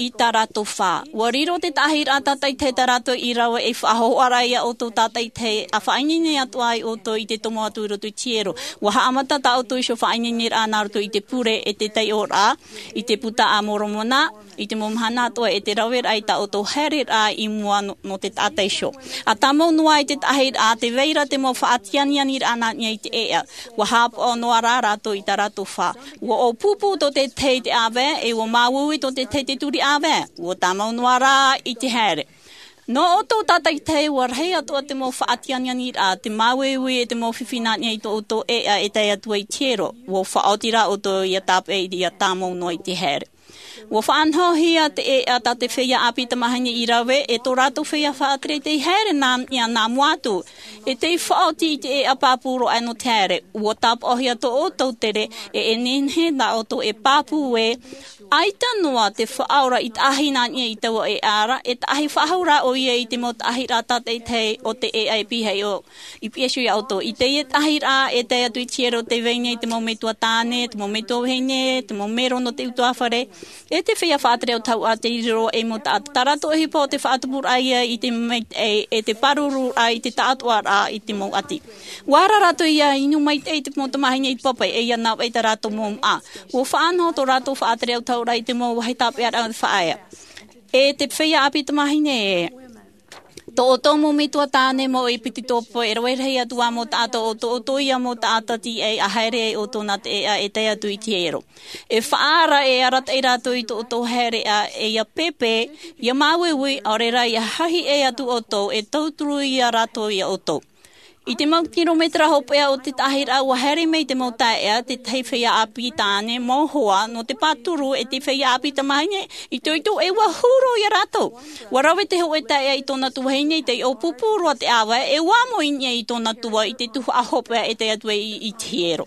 i tā rātou fā. Ua riro te taʻahiraʻa tātaʻitahi tā rātou i rave ei faʻahohoʻaraʻa iā ʻoutou tātaʻitahi, ʻa faʻaineine atoʻa ai ʻoutou i te tomo atu i roto i te hiero. Ua haʻamata tā ʻoutou iho faʻaineineraʻa nā roto i te pure e te taiʻoraʻa, i te Buka a Moromona, i te mau mahana atoʻa e te raveraʻa i tā ʻoutou haereraʻa i mua nō, nō te taʻata iho. ʻA tāmau noa ai te taʻahiraʻa, tē vai ra te mau faʻatianianiraʻa nā niʻa i te ʻēʻa. Ua haʻapaʻo noa rā rātou i tā rātou fā. Ua ʻōpūpū tō te tahi te ʻāvae, e ua māuiui tō te tahi te turi ʻāvae. Ua tāmau noa rā i te haere. Nō ʻoutou tātaʻitahi, ua rahi atoʻa te mau faʻatianianiraʻa, te māuiui e te mau fifi nā niʻa i tō ʻoutou ʻēʻa e tae atu ai i te hiero. Ua faʻaoti rā ʻoutou ia tāpeʻa, ia tāmau noa i te haere. Ua faʻanahohia te ʻēʻa tā te feiā ʻāpī tamāhine i rave, e tō rātou feiā faʻatere tei haere nā niʻa nā mua atu. E tei faʻaoti i te ʻēʻa pāpū roa nō te haere. Ua tāpaʻohia tō ʻoutou tere, e, e nehenehe tā ʻoutou e pāpū ē, ʻaita noa te Faʻaora i taʻahi nā niʻa i taua ʻēʻa ra, e taʻahi faʻahou rā ʻoia i te mau taʻahiraʻa tātaʻitahi o te ʻēʻa e pihaʻi iho, i pihaʻi iho iā ʻoutou. I teie taʻahiraʻa e tae atu i te hiero, tē vai nei te mau metua tāne, te mau metua vahine, te mau mero nō te utuāfare, e te feiā faʻatere autahuʻaraʻa tei riro ei mau taʻata. Tā rātou ʻohipa ʻo te faʻatupuraʻa ia i te maitaʻi, e te pārururaʻa i te taʻatoʻaraʻa i te mau ʻati. Ua ara rātou ia inu maitaʻi i te mau tamāhine i te papaʻi, e ia navaʻi tā rātou mau māʻa. Ua faʻanaho tō rātou faʻatere autahuʻaraʻa i te mau vāhi tāpeʻaraʻa faʻaea. E te feiā ʻāpī tamāhine ē, tō ʻoutou mau metua tāne mau e piti tōpō, e rave rahi atu ā mau taʻata, ʻo tō ʻoutou ia mau taʻata tīaʻi, ʻa haere ai ʻoutou nā te ʻēʻa e tae atu i te hiero. E faʻaara, e arataʻi rātou i tō ʻoutou haereʻa, e ia pēpē, ia māuiui, ʻaore rā ia hahiʻe atu ʻoutou, e tauturu ia rātou iā ʻoutou. I te mau kirometera hopeʻa o te taʻahiraʻa, ua haere mai te mau taeaʻe, te tahi feiā ʻāpī tāne mau hoa nō te pāturu, e te feiā ʻāpī tamāhine itoito, e ua huru iā rātou. Ua rave te hōʻē taeaʻe i tōna tuahine, tei ʻōpūpū roa te ʻāvae, e ua amo i niʻa i tōna tua i te tuhaʻa hopeʻa e tae atu ai i, i te hiero.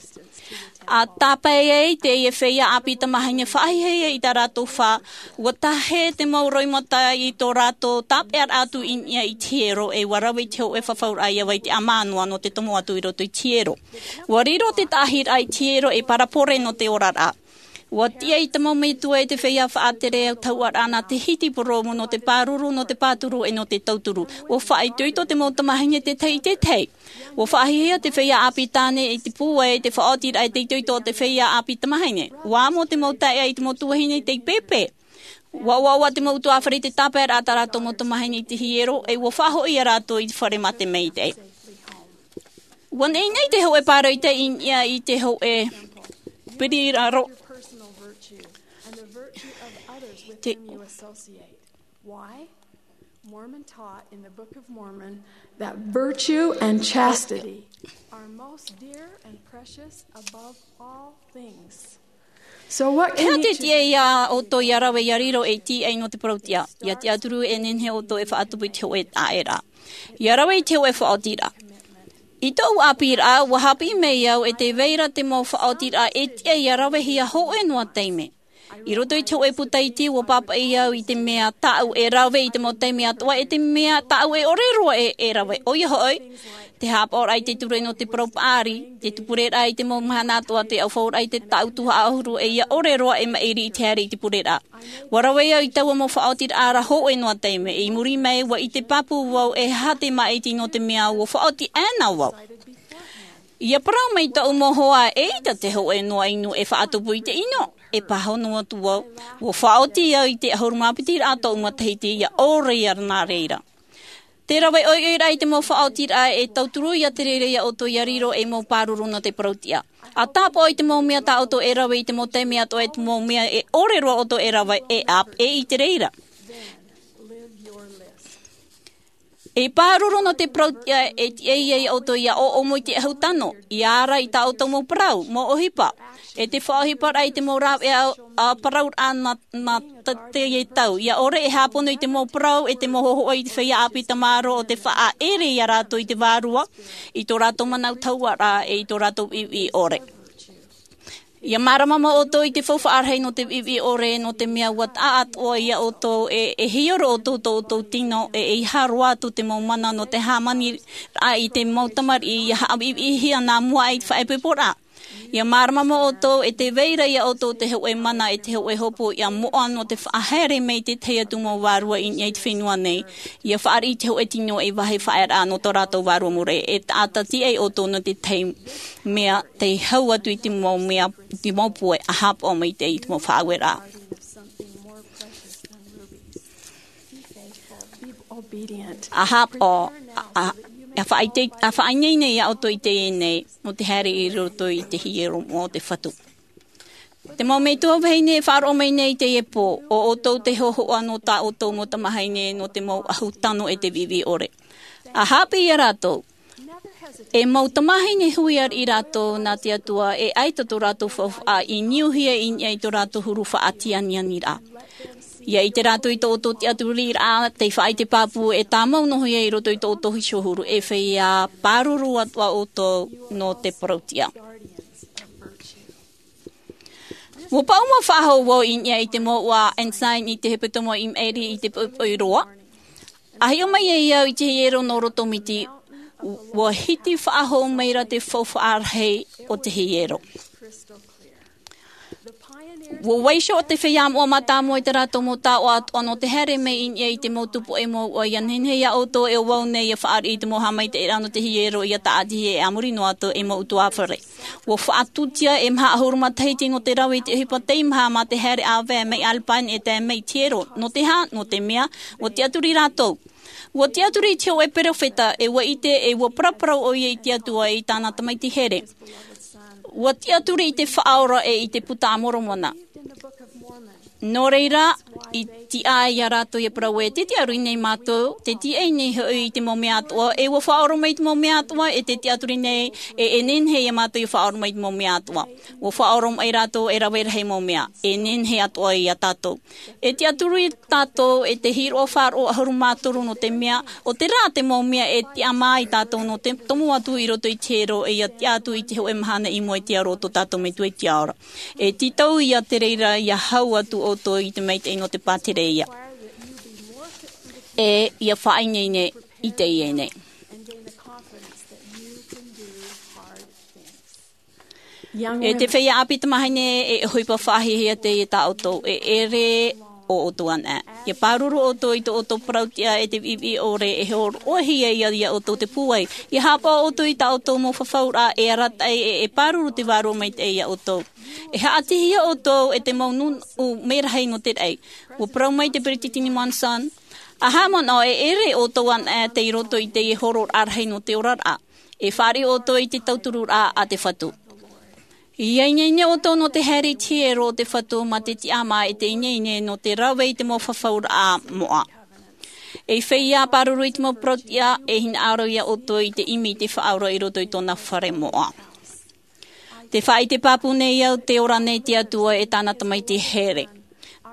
ʻA tāpae ai teie feiā ʻāpī tamāhine, faʻahiahia i tā rātou fā, ua tahe te mau roimata i tō rātou tāpeʻaraʻa atu i niʻa i te hiero, e ua rave i te hōʻē fafauraʻa ia vai te ʻamā noa nō te tomo atu i roto i te hiero. Ua riro te taʻahiraʻa i te hiero ei parabole nō te oraraʻa. Ua tiʻa i te mau metua e te feiā faʻatere autahuʻaraʻa nā te hiti purōmu nō te pāruru, nō te pāturu, e nō te tauturu. Ua faʻaitoito te mau tamāhine te tahi i te tahi. Ua faʻahiahia te feiā ʻāpī tāne i te pūai, te faʻaotiraʻa e te itoito o te feiā ʻāpī tamāhine. Ua amo te mau taeaʻe i te mau tuahine tei pēpē. Ua ʻoaʻoa te mau utuāfare i te tāpaeraʻa tā rātou mau tamāhine i te hiero, e ua faʻahoʻi iā rātou i te fare mā te maitaʻi. Ua neʻineʻi te hōʻē pāroita i niʻa i te hōʻē piri raro. Te Why? Mormon taught in the Book of Mormon that virtue and chastity are most dear and precious above all things. So what E can aha te tiʻa ia ʻoutou ia rave ia riro ei tīaʻi nō te parauʻtiʻa? Ia tiʻaturi e nehenehe ʻoutou e faʻatupu i te hōʻē taʻeraʻa, ia rave i te hōʻē faʻaotiraʻa. I tōʻu ʻāpīraʻa, ua haʻapiʻi mai au e tē vai ra te mau faʻaotiraʻa e tiʻa ia ravehia hōʻē noa taime. I roto i te hōʻē puta iti, ua pāpaʻi au i te mea tāʻu e rave i te mau taime atoʻa, e te mea tāʻu e ʻore roa e, e rave. ʻOia hoʻi, te haʻapaʻoraʻa i te ture nō te parau paʻari, te tupureraʻa i te mau mahana atoʻa, te ʻaufauraʻa i te taʻu tuhaʻa ʻahuru, e ia ʻore roa e maʻiri i te haere i te pureraʻa. Ua rave au i taua mau faʻaotiraʻa ra hōʻē noa taime. I muri mai, ua ʻite pāpū vau e aha te māʻiti, nō te mea ua faʻaoti ʻana vau. Ia parau mai tōʻu mau hoa, eʻita te hōʻē noa inu e faʻatupu i te inu. E pāhono atu vau, ua faʻaoti au i te ʻahuru mā piti raʻa tōʻu matahiti, ia ʻore ia nā reira. Te rave ʻoiʻoi raʻa i te mau faʻaotiraʻa e tauturu ia te reira ia ʻoutou ia riro ei mau pāruru nō te parauʻtiʻa. ʻA tāpaʻo i te mau mea tā ʻoutou e rave i te mau taime atoʻa, e te mau mea e ʻore roa ʻoutou e rave, e ʻāpeʻe i te reira. E pāruru nō te parauʻtiʻa e tiʻa ai ʻoutou ia ʻoʻomo i te ʻahu tano, ia ara i tā ʻoutou mau parau, mau ʻohipa. E te faʻaʻohiparaʻa i te mau rāveʻa, ā, parauraʻa nā, nā te, te tau. Ia ʻore e hāpono i te mau parau, e te mau hōhoʻa i te feiā ʻāpī tamaroa ʻo tē faʻaʻere ia rātou i te vārua, i tō rātou manaʻo tahuʻaraʻa, e i tō rātou viʻiviʻi ʻore. Ia mārama mau ʻoutou i te faufaʻa rahi nō te viʻiviʻi ʻore, nō te mea ua taʻa atoʻa ia ʻoutou e, e hiero ʻoutou tō ʻoutou tino, e, e ʻeiaha roa atu te mau mana nō te hāmaniraʻa i te mau tamariʻi, ia haʻaviʻiviʻihia nā mua aʻe i te faʻaipoiporaʻa. Ia mārama mau ʻoutou e tē vai ra ia ʻoutou te hōʻē mana, e te hōʻē hopoiʻa moʻa nō te faʻahaere mai i te tahi atu mau vārua i niʻa i te fenua nei. Ia fāriʻi i te hōʻē tino ei vāhi faʻaearaʻa nō tō rātou vārua mure, e taʻata tiʻa ai ʻoutou nō te tahi mea tei hau atu i te mau mea, te mau pūai ʻa haʻapaʻo mai te, i te mau faʻaueraʻa. ʻA haʻapaʻo, ʻa, ʻa, ʻa faʻaite-, ʻa faʻaineine ia ʻoutou i teie nei, nō te haere i roto i te hiero moʻa o te Fatu. Te mau metua vahine e faʻaroʻo mai nei i teie pō, ʻo ʻoutou te hōhoʻa nō tā ʻoutou mau tamāhine, nō te mau ʻahu tano e te viʻiviʻi ʻore. ʻA haʻapiʻi ia rātou. E mau tamāhine hui ariʻi rātou nā te Atua, e ʻaita tō rātou faufaʻa i niuhia i niʻa i tō rātou huru faʻatianianiraʻa. Ia ʻite rātou i tō ʻoutou tiʻaturiraʻa, tei faʻaʻite pāpū, e tāmau noa ia i roto i tō ʻoutou hiʻohuru, e feiā pāruru atoʻa ʻoutou nō te parauʻtiʻa. Ua paʻuma faʻahou vau i niʻa i te mouʻa Ensign i te hepetoma i maʻiri i te poʻipoʻi roa. ʻA hiʻo mai ai au i te hiero nō roto miti, ua hiti faʻahou mai ra te faufaʻa rahi o te hiero. Ua vaiiho te feiā moʻa mātāmua i tā rātou mau taoʻa atoʻa nō te haere mai i niʻa i te mau tupu e mouʻa, ia nehenehe ia ʻoutou e ʻo vau nei ia fāriʻi i te mau haʻamaitaʻiraʻa nō te hiero, ia tāʻatihia e a muri noa atu ei mau ʻutuāfare. Ua faʻatūtia e maha ʻahuru matahiti nō te rave i te ʻohipa teimaha mā te haere ʻāvae mai Alpine e tae mai i te hiero. Nō te aha? Nō te mea, ua tiʻaturi rātou. Ua tiʻaturi i te hōʻē perofeta, e ua ʻite, e ua paraparau ʻoia i te Atua e i tāna Tamaiti here. Ua tiʻaturi i te Faʻaora e i te Buka a Moromona. Nō reira, i tiʻa ai ia rātou ia parau ē, tē tiʻaturi nei mātou, tē tiʻa nei hoʻi i te mau mea atoʻa, e ua faʻaora mai i te mau mea atoʻa, e tē tiʻaturi nei, e, e nehenehe ia mātou ia faʻaora mai i te mau mea atoʻa. Ua faʻaora mai rātou e rave rahi mau mea, e nehenehe atoʻa ia tātou. E tiʻaturi tātou, e te hīroʻa faʻaroʻo ʻahuru mā toru, nō te mea, ʻo terā te mau mea e tiʻamā ai tātou nō te tomo atu i roto i te hiero, e ia tiʻa atu i te hōʻē mahana i mua i te aro o tō tātou Metua i te Ao ra. E tītau ia te reira, ia hau atu ʻoutou i te maitaʻi nō te pātireia. E ia faʻaineine i teie nei. E te feiā ʻāpī tamāhine, e ʻohipa faʻahiahia teie tā ʻoutou, e ʻere ʻo ʻoutou anaʻe. Ia pāruru ʻoutou i tō ʻoutou parauʻtiʻa e te viʻiviʻi ʻore, e hōroʻahia ia, ia ʻoutou te pūai. Ia haʻapaʻo ʻoutou i tā ʻoutou mau fafauraʻa, e arataʻi, e, e pāruru te Vārua Maitaʻi ia ʻoutou. E haʻatihia ʻoutou e te mau nūnaʻa merahi nō te raʻi. Ua parau mai te Peresideni Monson, ʻa haʻamanaʻo e ʻere ʻoutou anaʻe tei roto i teie hōroʻaraʻa rahi nō te oraraʻa. E fāriʻi ʻoutou i te tauturuʻraʻa a te Fatu. ʻIa ineine ʻoutou nō te haere i te hiero o te Fatu mā te tiʻamā e te ineine nō te rave i te mau fafauraʻa moʻa. E feiā pāruru i te mau parau-tiʻa, e hinaʻaro ia ʻoutou i te ʻimi i te Faʻaora i roto i tōna fare moʻa. Tē faʻaʻite pāpū nei au tē ora nei te Atua e tāna Tamaiti here,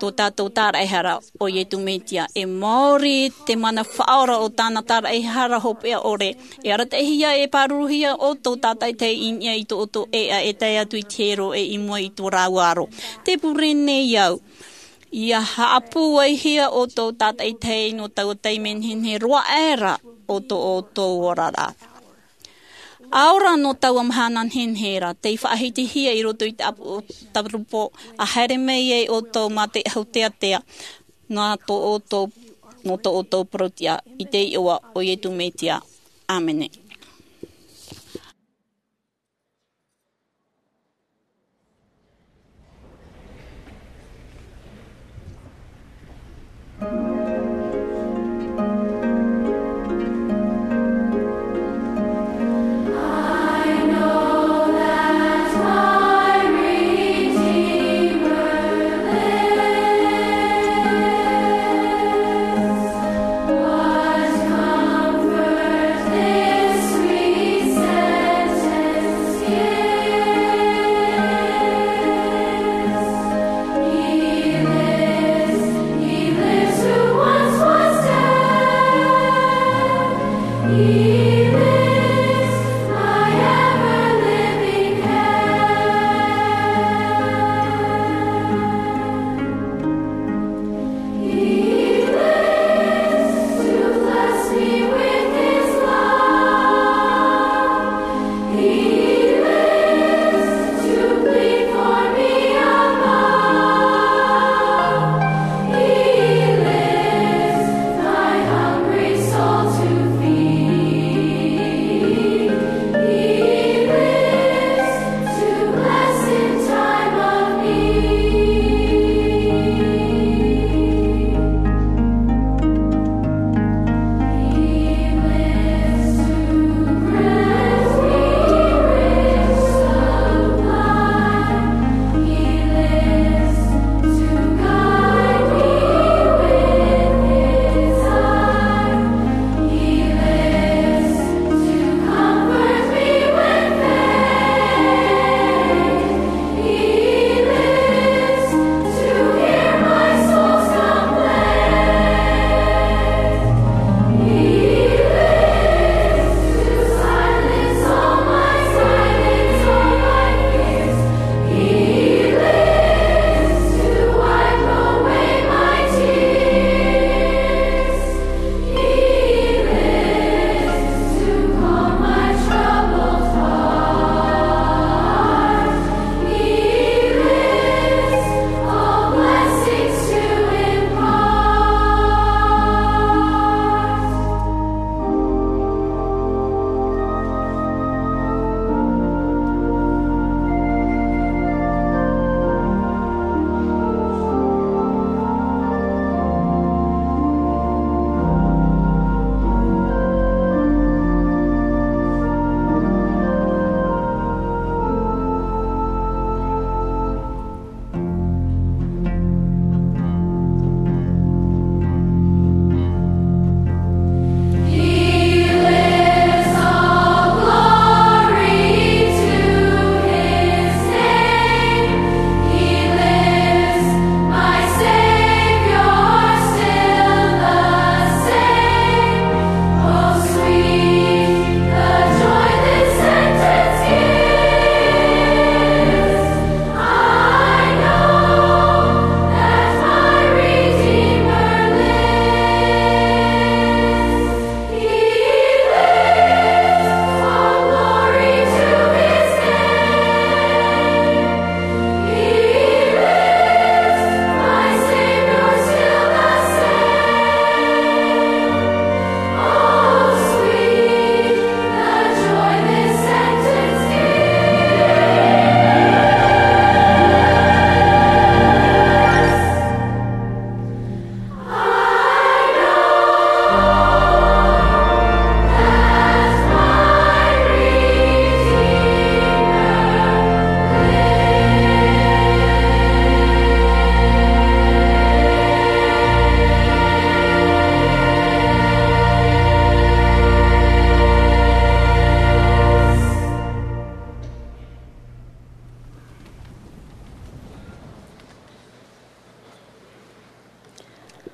tō tātou Tāraʻehara, ʻo Iesu Mesia. E maori te mana faʻaora o tāna Tāraʻehara hopeʻa ʻore. E arataʻihia e pāruruhia ʻoutou tātaʻitahi i niʻa i tō ʻoutou ʻēʻa e tae atu i te hiero e i mua i tō rāua aro. Tē pure nei au. ʻIa haʻapūaihia ʻoutou tātaʻitahi nō taua taime nehenehe roa aʻera o tō ʻoutou oraraʻa. ʻA ora nō taua mahana nehenehe ra, tei faʻahitihia i roto i te ʻāpoʻo tarupo, ʻa haere mai ai ʻoutou mā te ʻahu teatea, nā tō ʻoutou, nō tō ʻoutou parau-tiʻa, i te iʻoa o Iesu Mesia. ʻĀmene.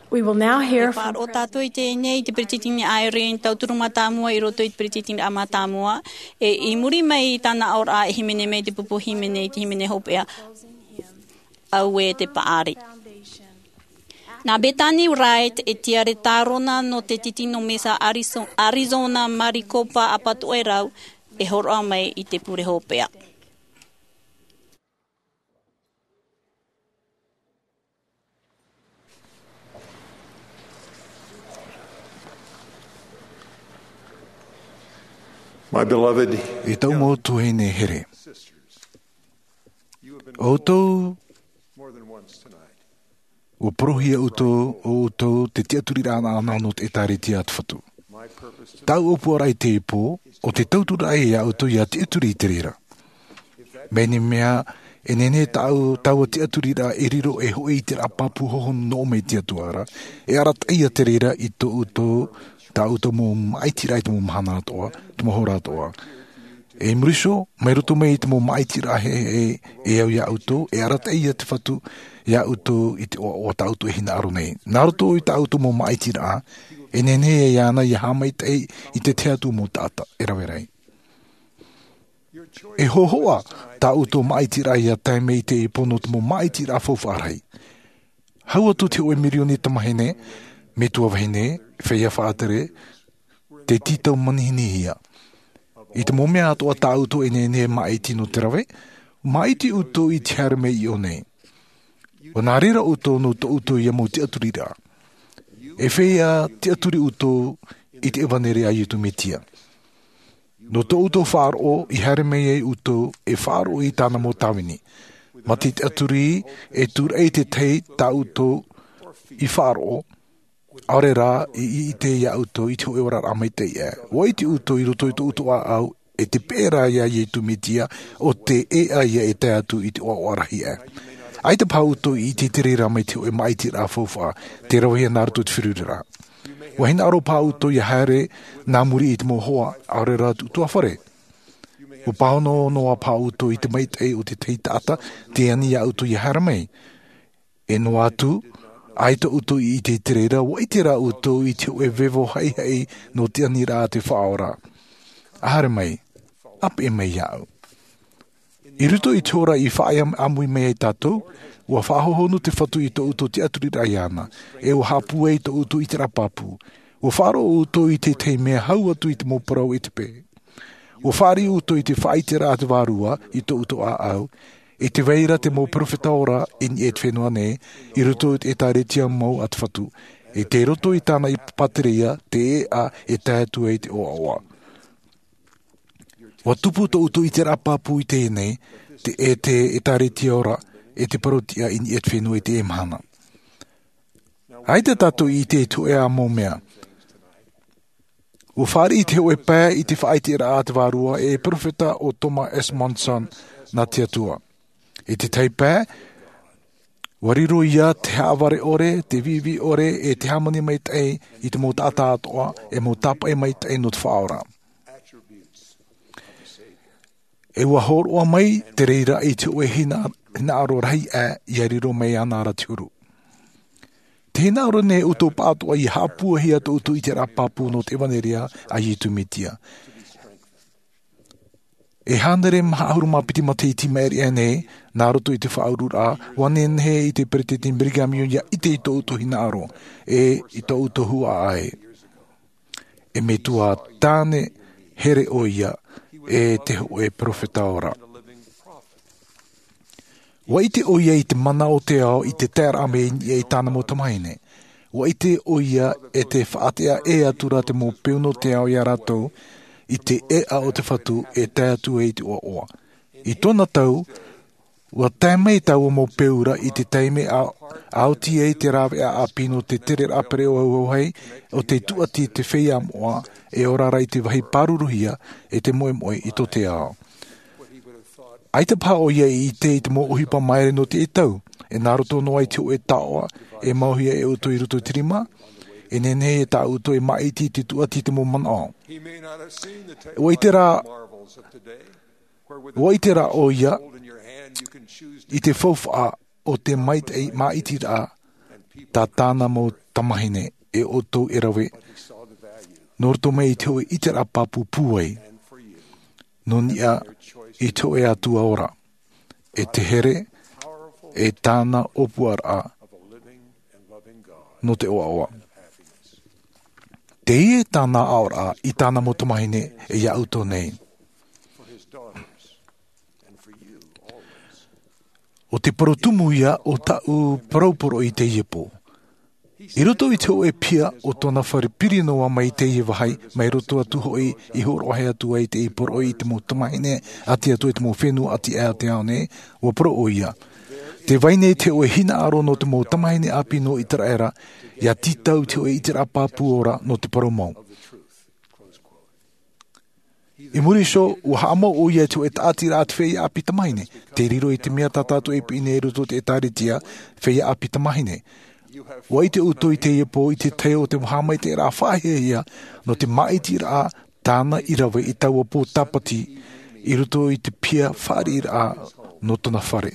We will now hear from Faʻaroʻo tātou i teie nei i te peretiteni Eyring, tauturu mātāmua i roto i te peretiteniraʻa mātāmua. E i muri mai i tāna aʻoraʻa e hīmene mai te pupu hīmene i te hīmene hopeʻa. Auē te paʻari. Nā Bethany Wright e tiare tārona nō te titino Mesa Arizo-, Arizona Maricopa Apatoʻerau e hōroʻa mai i te pure hopeʻa. My beloved, e tau mau tuahine here. ʻOutou, ʻua porohia ʻoutou, ʻo ʻoutou te tiʻaturiraʻa ʻanaʻana nō te ʻĒtārētia a te Fatu. Tāʻu ʻōpuaraʻa i teie pō, ʻo te tauturu ia ʻoutou ʻia tiʻaturi i te reira. Mai te mea, e nehenehe tāʻu, taua tiʻaturiraʻa e riro ei hoʻi i te raʻa pāpū hohonu nō ʻō mai te Atua ra, e arataʻi ia te reira i tō ʻoutou, tā ʻoutou mau māʻitiraʻa i te mau mahana atoʻa, te mau hora atoʻa. E i muri iho, mai roto mai i te mau māʻitiraʻa e, e, e au ia ʻoutou, e arataʻi ia te Fatu, ia ʻoutou i te ʻoaʻoa tā ʻoutou e hinaʻaro nei. Nā roto i tā ʻoutou mau māʻitiraʻa, e nehenehe ia ʻana ʻia haʻamaitaʻi i te tahi atu mau taʻata, e rave rahi. E hōhoʻa tā ʻoutou māʻitiraʻa ʻia tae mai i teie pō nō te mau māʻitiraʻa faufaʻa rahi. Hau atu te hōʻē mirioni tamāhine, metua vahine, feiā faʻatere, tei tītau manihinihia. I te mau mea atoʻa tā ʻoutou e nehenehe e māʻiti nō te rave, māʻiti ʻoutou i te haere mai i ʻō nei. ʻUa nā reira ʻoutou nō tō ʻoutou ia mau tiʻaturiraʻa. E feiā tiʻaturi ʻoutou i te ʻevanelia a Iesu Mesia. Nō tō ʻoutou faʻaroʻo i haere mai ai ʻoutou e faʻaroʻo i tāna mau tāvini. Mā te tiʻaturi e tūraʻi te tahi tā ʻoutou i faʻaroʻo, ʻaore rā i, i ʻite ia ʻoutou i te hōʻē oraraʻa maitaʻi aʻe. ʻUa ʻite ʻoutou i roto i tō ʻoutou ʻāʻau, e te peʻeraʻa ia Iesu Mesia, ʻo te ʻēʻa ia e tae atu i te ʻoaʻoa rahi aʻe. ʻAita paha ʻoutou i ʻite i te reira mai te hōʻē māʻitiraʻa faufaʻa, tē ravehia nā roto i te feruriraʻa. ʻUa hinaʻaro paha ʻoutou ʻia haere nā muri i te mau hoa, ʻaore rā te ʻutuāfare. ʻUa pāhono noa paha ʻoutou i te maitaʻi o te tahi taʻata, tē ani ia ʻoutou ʻia haere mai. E noa atu, ʻaita ʻoutou i ʻite i te reira, ʻua ʻite rā ʻoutou i te hōʻē vevo haʻihaʻi nō te aniraʻa a te Faʻaora. ʻA haere mai, ʻa peʻe mai iāʻu. I roto i te hora i faʻaʻāmui mai ai tātou, ʻua faʻahohonu te Fatu i tō ʻoutou tiʻaturiraʻa iāna, e ʻua haʻapūai tō ʻoutou ʻiteraʻa pāpū. ʻUa faʻaroʻo ʻoutou i te tahi mea hau atu i te mau parau e te peʻe. ʻUa fāriʻi ʻoutou i te faʻaʻiteraʻa a te Vārua i tō ʻoutou ʻāʻau, e tē vai ra te mau perofeta ora i niʻa i te fenua nei, i roto i te ʻĒtārētia mau a te Fatu, e tei roto i tāna ʻīpapātereia te ʻēʻa e tae atu ai i te ʻoaʻoa. ʻUa tupu tō ʻoutou ʻiteraʻa pāpū i teie nei, te, e te ʻĒtārētia ora, e te parau-tiʻa i niʻa i te fenua i teie mahana. ʻAita tātou i ʻite i te hōʻē ā mau mea. ʻUa fāriʻi te hōʻē pae i te faʻaʻiteraʻa a te Vārua e perofeta ʻo Thomas S. Monson nā te Atua. I te tahi pae, ʻua riro ia te haʻavare ʻore, te viʻiviʻi ʻore, e te hāmani maitaʻi i te mau taʻata atoʻa, e mau tāpaʻi maitaʻi nō te Faʻaora. E ʻua hōroʻa mai te reira i te hōʻē hina-, hinaʻaro rahi aʻe ʻia riro mai iāna ra te huru. Te hinaʻaro nei ʻoutou pāʻatoʻa ʻia haʻapūaihia tō ʻoutou ʻiteraʻa pāpū nō te ʻevanelia a Iesu Mesia. E hānere maha ʻahuru mā piti matahiti i maʻiri aʻe nei, nā roto i te faʻaururaʻa, ʻua nehenehe i te Peresideni Brigham Young ʻia ʻite i tō ʻoutou hinaʻaro, e i tō ʻoutou huaʻai. E metua tāne here ʻoia, e te hōʻē perofeta ora. ʻUa ʻite ʻoia i te mana o te ao i te taeraʻa mai i niʻa i tāna mau tamāhine. ʻUa ʻite ʻoia e te faʻateʻa ʻē atu ra te mau peu nō te ao ia rātou i te ʻēʻa o te Fatu e tae atu ai i te ʻoaʻoa. I tōna tau, ʻua tae mai taua mau peu ra i te taime a, a oti ai te rāveʻa ʻāpī nō te tereraʻa pereʻoʻo auahi, ʻo tei tūʻati te feiā moʻa, e ora ra i te vāhi pāruruhia, e te moʻemoʻe i tō te ao. ʻAita paha ʻoia i ʻite i te mau ʻohipa māere nō teie tau, e nā roto noa i te hōʻē taoʻa, e mauhia e ʻoutou i roto i te rima, e nehenehe e tā ʻoutou e māʻiti i te tūʻati i te mau manaʻo. ʻUa ʻite rā, ʻua ʻite rā ʻoia i te faufaʻa o te maitaʻi māʻitiraʻa, tā tāna mau tamahine e ʻoutou e rave nō roto mai i te hoʻe ʻiteraʻa pāpū pūai nō niʻa i te hoʻe atua ora e te here e tāna ʻōpuaraʻa nō te ʻoaʻoa. Teie tāna aʻoraʻa i tāna mau tamahine e iā ʻoutou nei. ʻO te parau tumu ia o taʻu parau poroʻi i teie pō. I roto i te hoʻe piha o tōna fare piri noa mai i teie vāhi mai roto atu hoʻi i hōroʻahia atu ai te poroʻi i te mau tamahine a te atua i te mau fenua ʻati aʻe o te ao nei, ua parau ʻo ia, te vai nei te hoʻe hinaʻaro nō te mau tamahine ʻāpī nō iteraera ia tītau i te hoʻe ʻiteraʻa pāpū ora nō te parau mau. I muri iho ua haʻamau ʻo ia i te hoʻe taʻatiraʻa a te feiā ʻāpī tamahine. Te riro i te mea tā tātou e piʻi nei i roto i te ʻēkālesia, feiā ʻāpī tamahine, ua ʻite ʻoutou i teie pō i te tahi o te haʻamaitaʻiraʻa faʻahiahia nō te māʻitiraʻa tāna i rave i taua pō tāpati i roto i te piha fāriʻiraʻa nō tōna fare.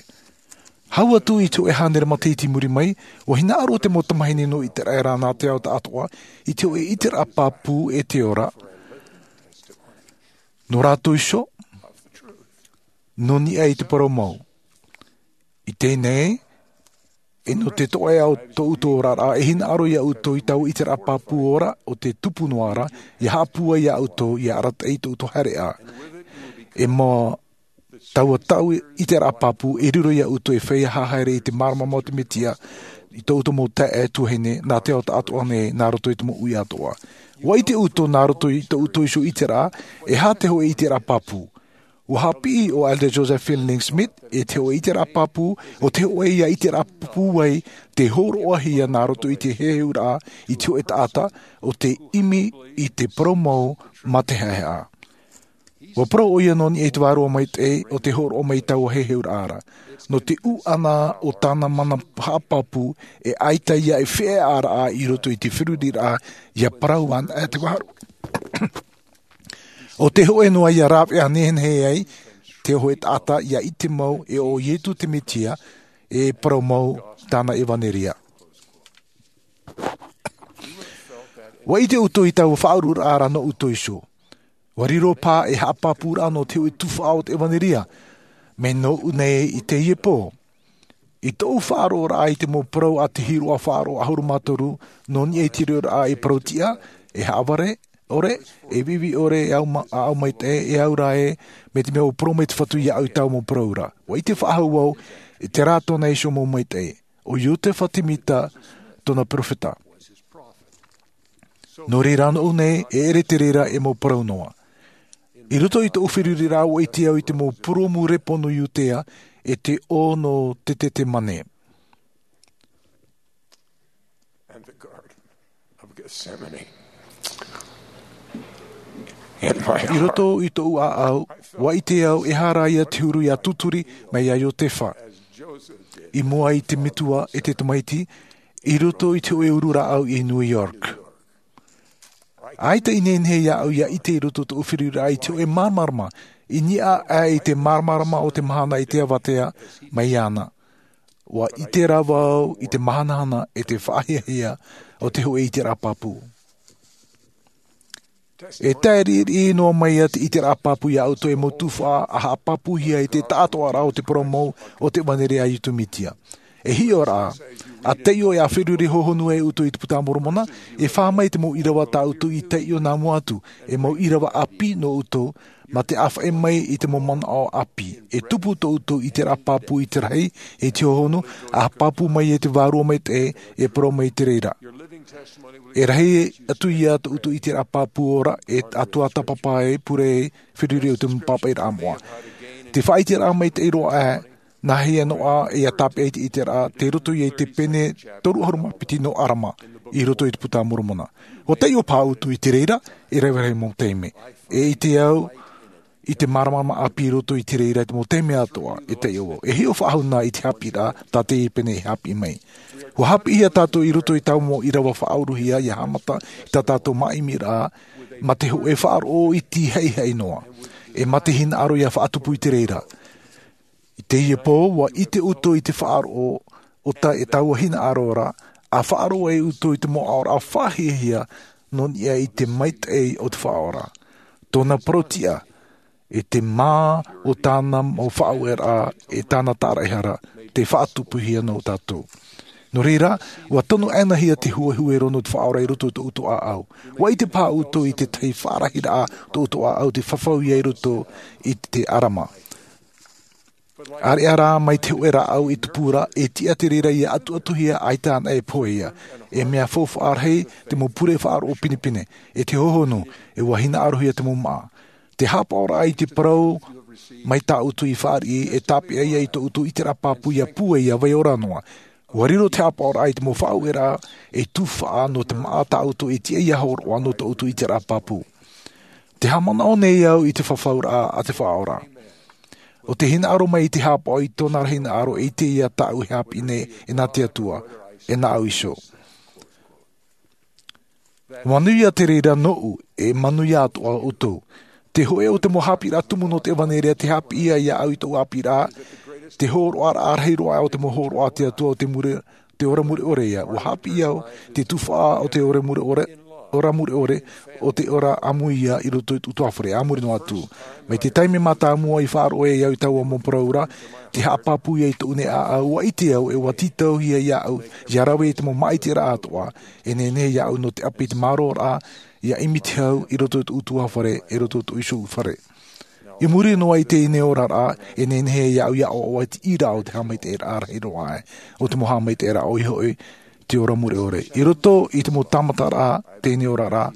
Hau atu i te hoʻe hānere matahiti i muri mai, ua hinaʻaro te mau tamahine nō iteraera nā te ao taʻatoʻa i te hoʻe ʻiteraʻa pāpū e te ora. Nō rātou iho nō niʻa i te parau mau. I teie nei e nō te toʻa o tō ʻoutou oraraʻa e hinaʻaro iā ʻoutou i taua ʻiteraʻa pāpū ora o te tupu noa ra ia haʻapūai iā ʻoutou ia arataʻi i tō ʻoutou haereʻa. E mā taua taʻu ʻiteraʻa pāpū e riro iā ʻoutou e feiā haere i te māramarama o te mesia i tō ʻoutou mau taeaʻe tuahine nā te ao taʻatoʻa nei nā roto i te mau ui atoʻa. Ua ʻite ʻoutou nā roto i tō ʻoutou iho ʻiteraʻa e aha te hoʻe ʻiteraʻa pāpū. Ua haʻapiʻi ʻo elder joseph fielding smith e te hoʻe ʻiteraʻa pāpū o te hoʻe ia ʻiteraʻa pūai te hōroʻahia nā roto i te heheuraʻa i te hoʻe taʻata o te ʻimi i te parau mau mā te haʻehaʻa. Ua parau ʻo ia nō niʻa i te vārua maitaʻi o te hōroʻa mai i taua heheuraʻa ra nō te ʻūʻana o tāna mana haʻapāpū e ʻaita ia e feiā raʻa i roto i te feruriraʻa ia parau ana e te vārua. O te hoʻe noa ia rāveʻa nehenehe ai te hoʻe taʻata ia ʻite mau e o iesu te mesia e parau mau tāna evanelia. Ua ʻite ʻoutou i taua faʻaururaʻa ra nō ʻoutou iho. Ua riro pā e haʻapāpūraʻa nō te hoʻe tuhaʻa o te evanelia. Mai nō ʻu nei i teie pō i tōʻu faʻaroʻoraʻa i te mau parau a te hiroʻa faʻaroʻo ʻahuru mā toru nō niʻa i te reoraʻa e parau tiʻa, e haʻavare ʻore, e viʻiviʻi ʻore, e aʻau maitaʻi, e aura ē, mai te mea ua parau mai te fatu iāʻu i taua mau parau ra. Ua ʻite faʻahou au i te rā tōna iho mau maitaʻi, ʻo iosefa semita tōna perofeta. Nō reira nō ʻu nei e ʻere te reira e mau parau noa. I roto i tōʻu feruriraʻa ua ʻite au i te mau purōmu repo nō iudea e te ʻō nō tetetemane. I roto i tōʻu ʻāʻau ua ʻite au e hara ia te huru ia tuturi mai iā iosefa i mua i te metua e te tamaiti i roto i te hoʻe uru rāʻau i new york. ʻAita i nehenehe iāʻu ia ʻite i roto i tōʻu feruriraʻa i te hoʻe māramarama i niʻa aʻe i te māramarama o te mahana i te avatea mai iāna. Ua ʻite rā vau i te mahanahana e te faʻahiahia o te hoʻe ʻiteraʻa pāpū. E tae riʻiriʻi noa mai ia te ʻiteraʻa pāpū iā ʻoutou e mau tuhaʻa a haʻapāpūhia i te taʻatoʻaraʻa o te parau mau o te evanelia a iesu mesia. E hiʻo rā a taiʻo e a feruri hohonu ai ʻoutou i te puta a moromona, e fā mai te mau ʻīrava tā ʻoutou i taiʻo nā mua atu, e mau ʻīrava ʻāpī nō ʻoutou mā te ʻāfaʻi mai i te mau manaʻo ʻāpī e tupu tō ʻoutou ʻiteraʻa pāpū i te rahi i te hohonu a pāpū mai e te vārua maitaʻi e parau mai i te reira. E rahi atu ia tō ʻoutou ʻiteraʻa pāpū ora e atoʻa tāpapa e pure ai feruri o te mau pāpaʻiraʻa moʻa. Te faʻaʻiteraʻa maitaʻi roa ʻā nā hea noa ia tāpeʻa i te ʻiteraʻa te roto ia i te pene toru ʻahuru mā piti nō arama i roto i te puta a moromona. Ua taiʻo pā ʻoutou i te reira e rave rahi mau taime. E ʻite au i te māramarama ʻāpī i roto i te reira i te mau taime atoʻa e taiʻo au e hiʻo faʻahou nā i te hāpiʻiraʻa tā teie pene e hāpiʻi mai. Ua hāpiʻihia tātou i roto i taua mau ʻīrava faʻaʻoruhia ia haʻamata i tā tātou māʻimiraʻa mā te hoʻe faʻaroʻo iti haʻihaʻi noa e mā te hinaʻaro ia faʻatupu i te reira. I teie pō ua ʻite ʻoutou i te faʻaroʻo o tā e taua hinaʻaro ra A faʻaroʻo ai ʻoutou i te mau aʻoraʻa faʻahiahia nō niʻa i te maitaʻi o te Faʻaora, tōna parau tiʻa, e te mā o tāna mau faʻaueraʻa, e tāna tāraʻehara, te faʻatupuhia nō tātou. Nō reira, ua tono ʻānāhia te huehue roa nō te Faʻaora i roto i tō ʻoutou ʻāʻau. Ua ʻite paha ʻoutou i tētahi faʻarahiraʻa tō ʻoutou ʻāʻau te fafau ia i roto i te ʻarama. ʻĀreʻa rā mai te hōʻē rāʻau e tupu ra, e tiʻa te reira ia ʻatuʻatuhia ʻaita anaʻe e pohe ia. E mea faufaʻa rahi te mau pure faʻaroʻo pinepine, e te hohonu, e ua hinaʻarohia te mau māʻa. Te haʻapaʻoraʻa i te parau mai tā ʻoutou i fāriʻi, e tāpeʻa ia i tō ʻoutou ʻiteraʻa pāpū ia pūai, ia vai ora noa. Ua riro te haʻapaʻoraʻa i te mau faʻaueraʻa e tufaʻa nō te māʻa tā ʻoutou e tiʻa ia hōroʻa nō tō ʻoutou ʻiteraʻa pāpū. Te haʻamanaʻo nei au i te fafauraʻa a te Faʻaora. ʻO te hinaʻaro mai i te haʻapaʻo i tōna ra hinaʻaro, e ʻite ia tāʻu e haʻapiʻi nei e nā te Atua, e nāʻu iho. Manuia te reira nōʻu, e manuia atoʻa ʻoutou. Te hōʻē o te mau haʻapiʻiraʻa tumu nō te ʻevanelia, te haʻapiʻi ia iāʻu i tōʻu haʻapiʻiraʻa, te hōroʻaraʻa rahi roa o te mau hōroʻa a te Atua, o te mure, te ora mure ʻore ia. Ua haʻapiʻi au te tufaʻa o te ora mure ʻore, ora mure ʻore, o te ora ʻāmui ia i roto i tōʻu ʻutuāfare, a muri noa atu. Mai te taime mātāmua i faʻaroʻo ai au i taua mau parau ra, te haʻapāpū ia i tōʻu nei ʻāʻau, ua ʻite au, e ua tītauhia iāʻu ia rave i te mau māʻitiraʻa atoʻa, e nehenehe iāʻu nō te ʻape i te māroraʻa, ia ʻimi te hau i roto i tōʻu ʻutuāfare, i roto i tōʻu iho fare. I muri noa i teie nei oraraʻa, e nehenehe iāʻu ia ʻoaʻoa i te ʻīraʻa o te haʻamaitaʻiraʻa rahi roa aʻe, o te mau haʻamaitaʻiraʻa ʻoia hoʻi, te ora mure ʻore. I roto i te mau tāmataraʻa teie nei oraraʻa,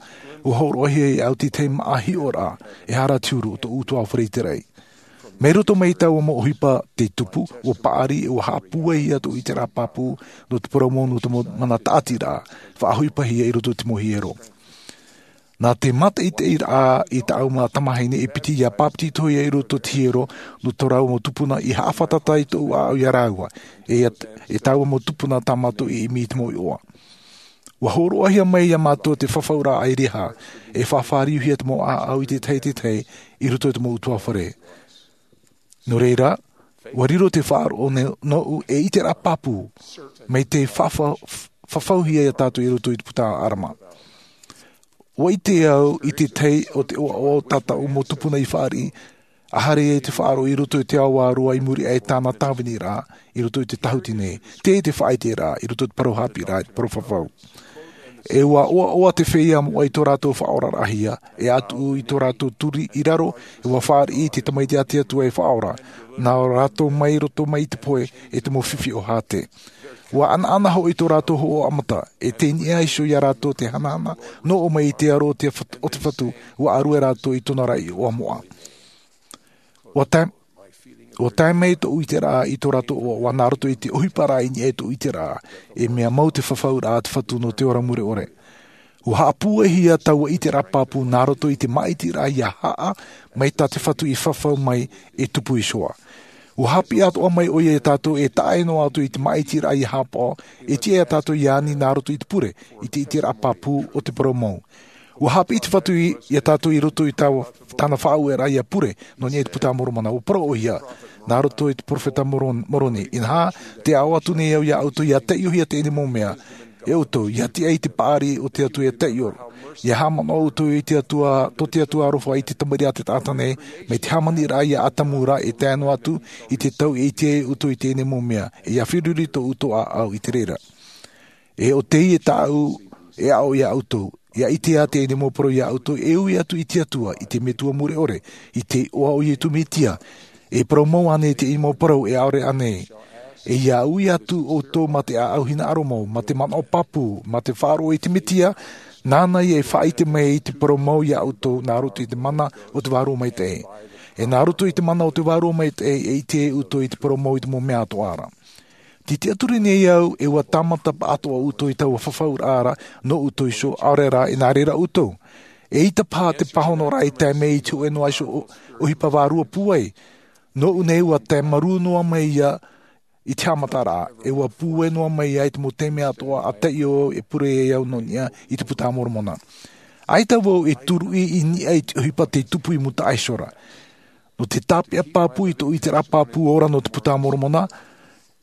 ua hōroʻahia iāʻu te tahi māʻa hiʻoraʻa, e hara te huru o tōʻu ʻutuāfare i te raʻi. Mai roto mai i taua mau ʻohipa tei tupu, ua paʻari, e ua haʻapūai ia tōʻu ʻiteraʻa pāpū nō te parau mau, nō te mau mana tāʻatiraʻa, faʻaʻohipahia i roto i te mau hiero. Nā te mātaʻitaʻiraʻa i tāʻu mau tamahine e piti ia pāpetitohia i roto i te hiero nō tō rāua mau tupuna, i haʻafātata i tōʻu ʻāʻau ia rāua, e ia, e taua mau tupuna tā mātou i ʻimi i te mau iʻoa. Ua hōroʻahia mai ia mātou te fafauraʻa ʻāirehaʻa, e faʻafāriuhia te mau ʻāʻau i te tahi i te tahi i roto i te mau ʻutuāfare. Nō reira, ua riro te faʻaroʻo ne-, nōʻu e ʻiteraʻa pāpū, mai te fafa-, f-, fafauhia ia tātou i roto i te puta ʻarama. Ua ʻite au i te tahi o te ʻoaʻoa o tā tāʻu mau tupuna i fāriʻi, ʻaore rā te faʻaroʻo i roto i te ao vārua i muri aʻe i tāna tāviniraʻa, i roto i te tāhuti nei, te, te faʻaʻiteraʻa, i roto i te parau haʻapiʻiraʻa, i te parau fafau. E ua ʻoaʻoa te feiā moʻa i tō rātou faʻaoraraʻahia, e ʻatu i tō rātou turi i raro, e ua fāriʻi i te Tamaiti a te Atua e faʻaora, nā rātou mai roto mai i te pohe, e te mau fifi o Hate. Ua ʻanaʻana hoʻi tō rātou hōʻē ʻamata, e tei niʻa iho ia rātou te hanahana, nō ʻō mai i te aro o te fat-, o te Fatu, ua ʻārue rātou i tōna ra iʻoa moʻa. Ua tae, ua tae mai tōʻu ʻiteraʻa i tō rātou ʻoaʻoa nā roto i te ʻohiparaʻa i niʻa i tōʻu ʻiteraʻa, e mea mau te fafauraʻa a te Fatu nō te ora mure ʻore. Ua haʻapūaihia taua ʻiteraʻa pāpū nā roto i te māʻitiraʻa ia haʻa, mai tā te Fatu i fafau mai e tupu iho ā. Ua haʻapiʻi atoʻa mai ʻoia ia tātou e taʻa noa atu i te māʻitiraʻa ia haʻapaʻo, e tiʻa ia tātou ia ani nā roto i te pure, i te ʻiteraʻa pāpū o te parau mau. Ua haʻapiʻi te Fatu i, ia tātou i roto i tāua, tāna faʻaueraʻa ia pure, nō niʻa i te Puta a Moromona, ua parau ʻoia, nā roto i te peropheta Moron-, Moroni. Inaha, tē aʻo atu nei au ia ʻoutou ia taiʻohia teie nei mau mea, e ʻoutou, ia tiʻa i te paʻari o te Atua ia taiʻo. Ia haʻamanaʻo ʻoutou i te Atua, tō te Atua aroha i te tamariʻi a te taʻata nei, mai te hāmaniraʻa ia Atamu ra e tae noa atu i te tau e ʻite ai ʻoutou i teie nei mau mea, e ia feruri tō ʻoutou ʻāʻau i te reira. E ʻo teie tāʻu e aʻo ia ʻoutou, ia ʻite ā teie nei mau parau ia ʻoutou, e ui atu i te Atua, i te Metua mure ʻore, i te iʻoa o Iesu Mesia, e parau mau ānei teie mau parau, e ʻaore ānei? E ia ui atu ʻoutou mā te ʻāʻau hinaʻaro mau, mā te manaʻo pāpū, mā te faʻaroʻo i te Mesia, nāna ia e faʻaʻite mai i te parau mau ia ʻoutou, nā roto i te mana o te Vārua Maitaʻi. E nā roto i te mana o te Vārua Maitaʻi, e ʻite ʻoutou i te parau mau i te mau mea atoʻa ra. Tē tiʻaturi nei au, e ua tāmata paʻatoʻa ʻoutou i taua fafauraʻa ra, nō ʻoutou iho, ʻaore rā, e nā reira ʻoutou. Eʻita paha te pāhonoraʻa i tae mai i te hōʻē noa iho ʻo-, ʻohipa vārua pūai. Nōʻu nei ua tae marū noa mai ia i te haʻamataraʻa, e ua pūai noa mai ia i te mau taime atoʻa a taiʻo au e pure ai au nō niʻa i te Puta a Moromona. ʻAita vau e turuʻi i niʻa i te ʻohipa tei tupu i mūtaʻa iho ra. Nō te tāpeʻa pāpū i tōʻu ʻiteraʻa pāpū ora nō te Puta a Moromona,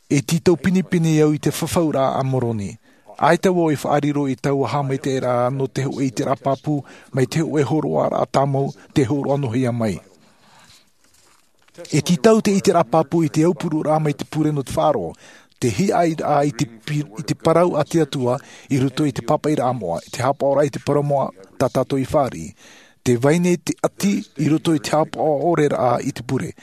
e tītau pinepine au i te fafauraʻa a Moroni. ʻAita vau e faʻariro i taua haʻamaitaʻiraʻa nō te hōʻē ʻiteraʻa pāpū mai te hōʻē hōroʻaraʻa tāmau tei hōroʻa noa hia mai. E tītau te ʻiteraʻa pāpū i te aupururaʻa mai te pure nō te faʻaroʻo, te hiaʻairaʻa i te pi-, i te parau a te Atua i roto i te pāpaʻiraʻa moʻa, i te haʻapaʻoraʻa i te parau moʻa tā tātou i fāriʻi, te vai nei te ʻati i roto i te haʻapaʻo ʻore raʻa i te pure,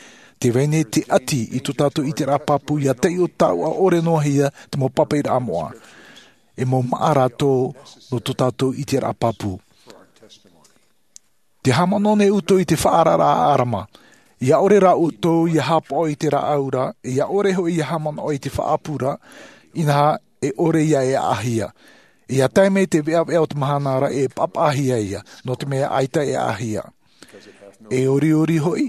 te vai nei te ʻati i tō tātou ʻiteraʻa pāpū ia taiʻo taʻoʻa ʻore noa hia te mau pāpaʻiraʻa moʻa. E mau māʻa rātou nō tō tātou ʻiteraʻa pāpū. Te haʻamanaʻo nei ʻoutou i te faʻaararaʻa a ʻArama. ʻIa ʻore rā ʻoutou ia haʻapaʻo i te rāʻau ra, ʻia ʻore hoʻi ia haʻamanaʻo i te faʻaʻapu ra, inaha e ʻore ia e ʻaʻahia. ʻIa tae mai te veʻaveʻa o te mahana ra e paʻapaʻahia ia, nō te mea ʻaita e ʻaʻahia. E oriori hoʻi,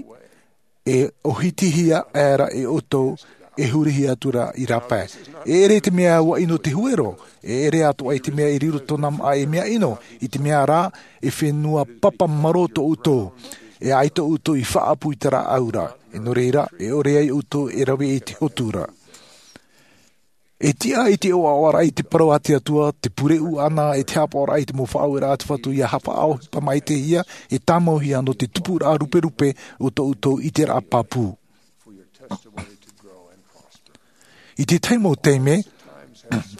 e ʻōhitihia aʻera e ʻoutou, e hurihia atu ra i rāpae. E ʻere te mea ua ʻino te huero, e ʻere atoʻa i te mea e riro tōna māʻa ei mea ʻino, i te mea rā, e fenua papa marō tō ʻoutou, e ʻaita ʻoutou i faʻaʻapu i te rāʻau ra. E nō reira, e ʻore ai ʻoutou e rave i te hotu ra. E tiʻa i te ʻoaʻoaraʻa i te parau a te Atua, te pure ʻuʻana, e te haʻapaʻoraʻa i te mau faʻaueraʻa a te Fatu ʻia faʻaʻohipa maitaʻihia, e tāmauhia nō te tupuraʻa ruperupe o tō ʻoutou ʻiteraʻa pāpū. I te tahi mau taime,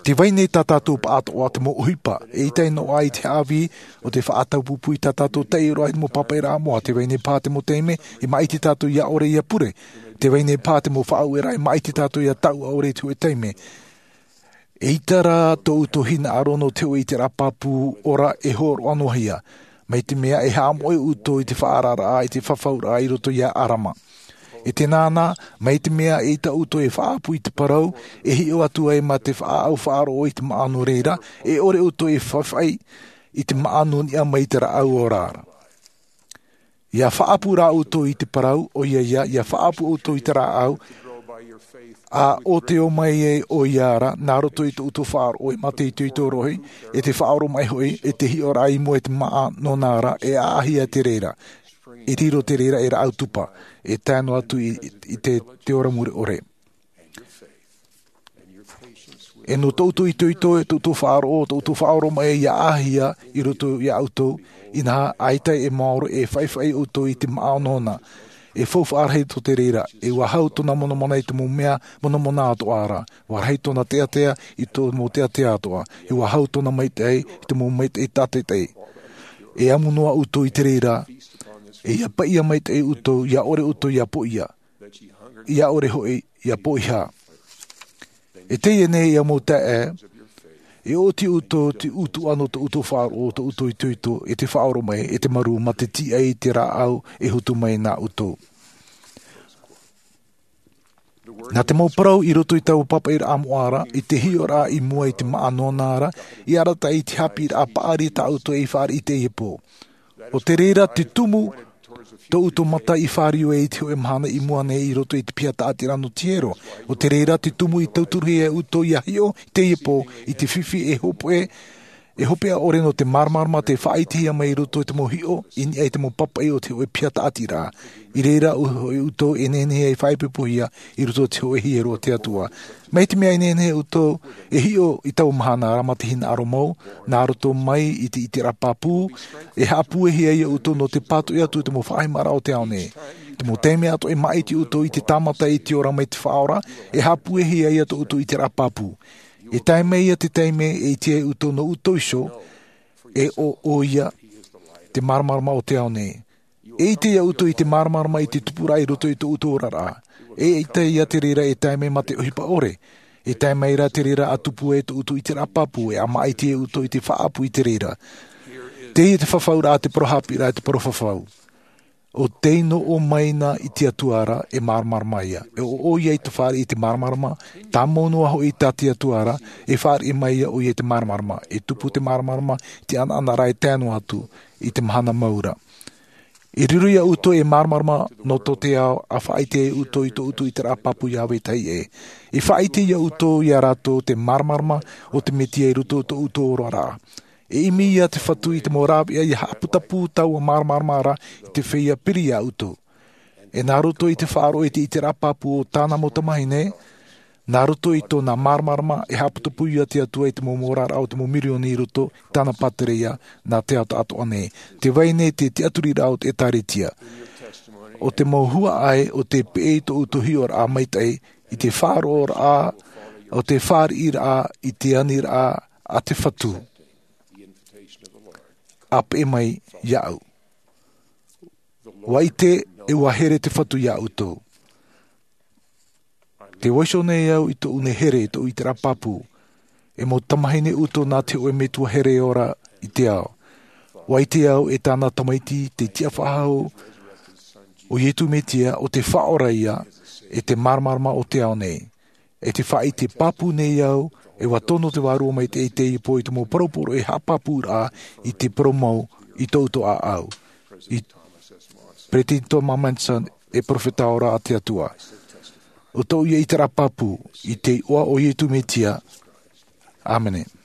te vai nei tā tātou paʻatoʻa te mau ʻohipa, e ʻita noa i te haʻavī o te faʻataupupū i tā tātou taiʻoraʻa i te mau pāpaʻiraʻa moʻa, te vai nei paha te mau taime, e maʻiti tātou ʻia ʻore ʻia pure, te vai nei paha te mau faʻaueraʻa e maʻiti tātou ʻia taʻu ʻore i te hōʻē taime. E ʻita rā tō ʻoutou hinaʻaro nō te hōʻē ʻiteraʻa pāpū ora e hōroʻa noa hia, mai te mea e haʻamoʻe ʻoutou i te faʻaararaʻa, i te fafauraʻa i roto ia ʻArama. E tēnā na, mai te mea e ʻita ʻoutou e faʻaʻapu i te parau, e hiʻo atu ai mā te faʻaʻau faʻaroʻo i te māʻa nō reira, e ʻore ʻoutou e faʻaʻai i te māʻa nō niʻa mai i te rāʻau ora ra. ʻIa faʻaʻapu rā ʻoutou i te parau, ʻoia ia, ʻia faʻaʻapu ʻoutou i te rāʻau, ʻa ʻōteo mai ai ʻoia ra, nā roto i tō ʻoutou faʻaroʻo e mā te itoito rohi, e te faʻaoromaʻi hoʻi, e te hiʻoraʻa i mua i te māʻa nōna ra, e ʻaʻahia te reira. E riro te reira ei rāʻau tupa, e tae noa atu i, i te, te ora mure ʻore. E nō tō ʻoutou itoito, tō ʻoutou faʻaroʻo, tō ʻoutou faʻaoromaʻi ʻia ʻaʻahia i roto ia ʻoutou, inaha ʻaita e maoro e faʻifaʻi ʻoutou i te māʻa nōna. E faufaʻa rahi tō te reira, e ʻua hau tōna monamona i te mau mea monamona atoʻa ra, ʻua rahi tōna teatea i te mau teatea atoʻa, e ʻua hau tōna maitaʻi i te mau maitaʻi tātaʻitahi. E amu noa ʻoutou i te reira, e ʻia paʻia maitaʻi ʻoutou, ʻia ʻore ʻoutou ʻia poʻia, ʻia ʻore hoʻi ʻia poʻihā. E teie nei ia mau taeaʻe, e ʻoti ʻoutou te ʻutuʻa nō tō ʻoutou faʻaroʻo, tō ʻoutou itoito, e te faʻaoromaʻi, e te marū mā te tiʻa i te rāʻau e hotu mai nā ʻoutou. Nā te mau parau i roto i taua pāpaʻiraʻa moʻa ra, i te hiʻoraʻa i mua i te māʻa nōna ra, i arataʻi i te haʻapiʻiraʻa paʻari tā ʻoutou e fāriʻi i teie pō. ʻO te reira te tumu tō ʻoutou mata i fāriu ai i te hōʻē mahana i mua nei i roto i te piha tāʻatiraʻa nō te hiero. ʻO te reira te tumu i tauturuhia e ʻoutou ʻia hiʻo i teie pō i te fifi e hopeʻa, e hopeʻa ʻore nō te māramarama tē faʻaʻitehia mai i roto i te mau hiʻo i niʻa i te mau pāpaʻi o te hōʻē piha tāʻatiraʻa. I reira hoʻi ʻoutou e nehenehe ai e faʻaipoipohia i roto i te hōʻē hiero a te Atua. Mai te mea e nehenehe ʻoutou e hiʻo i taua mahana ra mā te hinaʻaro mau, nā roto mai i te ʻiteraʻa pāpū, e haʻapuehia ia ʻoutou nō te pātoʻi atu i te mau faʻahimaraʻa o te ao nei. Te mau taime atoʻa e maʻiti ʻoutou i te tāmata i te ora mai te Faʻaora, e haʻapuehia ia tō ʻoutou ʻiteraʻa pāpū. E tae mai ia te taime e ʻite ai ʻoutou nō ʻoutou iho, e ʻo ʻoia te māramarama o te ao nei. E ʻite ia ʻoutou i te māramarama i te tupuraʻa i roto i tō ʻoutou oraraʻa. E ʻite ia te reira e tae mai mā te ʻohipa ʻore. E tae mai rā te reira ʻa tupu ai tō ʻoutou ʻiteraʻa pāpū, e ʻa maʻiti ai ʻoutou i te faʻaʻapu i te reira. Teie te fafauraʻa a te parau haʻapiʻiraʻa, e te parau fafau. ʻO tei noʻo mai na i te Atua ra, e māramarama ia. E ʻo ʻoia i te fāriʻi i te māramarama, tāmau noa hoʻi tā te Atua ra, e fāriʻi mai ia ʻoia i te māramarama. E tupu te māramarama i te ʻanaʻanaraʻa e tae noa atu i te mahana mau ra. E riro ia ʻoutou ei māramarama nō tō te ao, ʻa faʻaʻite ai ʻoutou i tō ʻoutou ʻiteraʻa pāpū ʻia vetahi ʻē. E faʻaʻite ia ʻoutou ia rātou te māramarama o te Mesia i roto i tō ʻoutou oraraʻa. E ʻimi ia te Fatu i te mau rāveʻa ʻia haʻaputapū taua māramarama ra i te feiā piri ia ʻoutou. E nā roto i te faʻaroʻo i te ʻiteraʻa pāpū o tāna mau tamāhine, Nā roto i tōna māramarama e haʻaputopū ia te Atua i te mau oraraʻa o te mau mirioni i roto i tāna pātireia nā te ao taʻatoʻa nei. Te vai nei te tiʻaturiraʻa o te ʻĒtārētia. ʻO te mau huaʻai o te peʻe i tōʻu hiʻoraʻa maitaʻi i te faʻaroʻoraʻa o te fāriʻiraʻa i te aniraʻa a te Fatu. A peʻe mai iāʻu. Ua ʻite ʻe ua here te Fatu iā ʻoutou. Te vaiiho nei au i tōʻu nei here i tōʻu ʻiteraʻa pāpū. E mau tamahine ʻoutou nā te hōʻē metua here ora i te ao. Ua ʻite au e tāna tamaiti te tiʻafaʻahou o Iesu Mesia, ʻo te Faʻaora ia e te māramarama o te ao nei. E te faʻaʻite pāpū nei au e ua tono te Vārua Maitaʻi i te ipo i te mau poroporo e haʻapāpūraʻa i te poromou i tōʻu ʻāʻau. I Peresideni Thomas Monson e perofeta ora a te Atua. ʻO tōʻu ia ʻiteraʻa pāpū i te iʻoa o Iesu Mesia. ʻĀmene.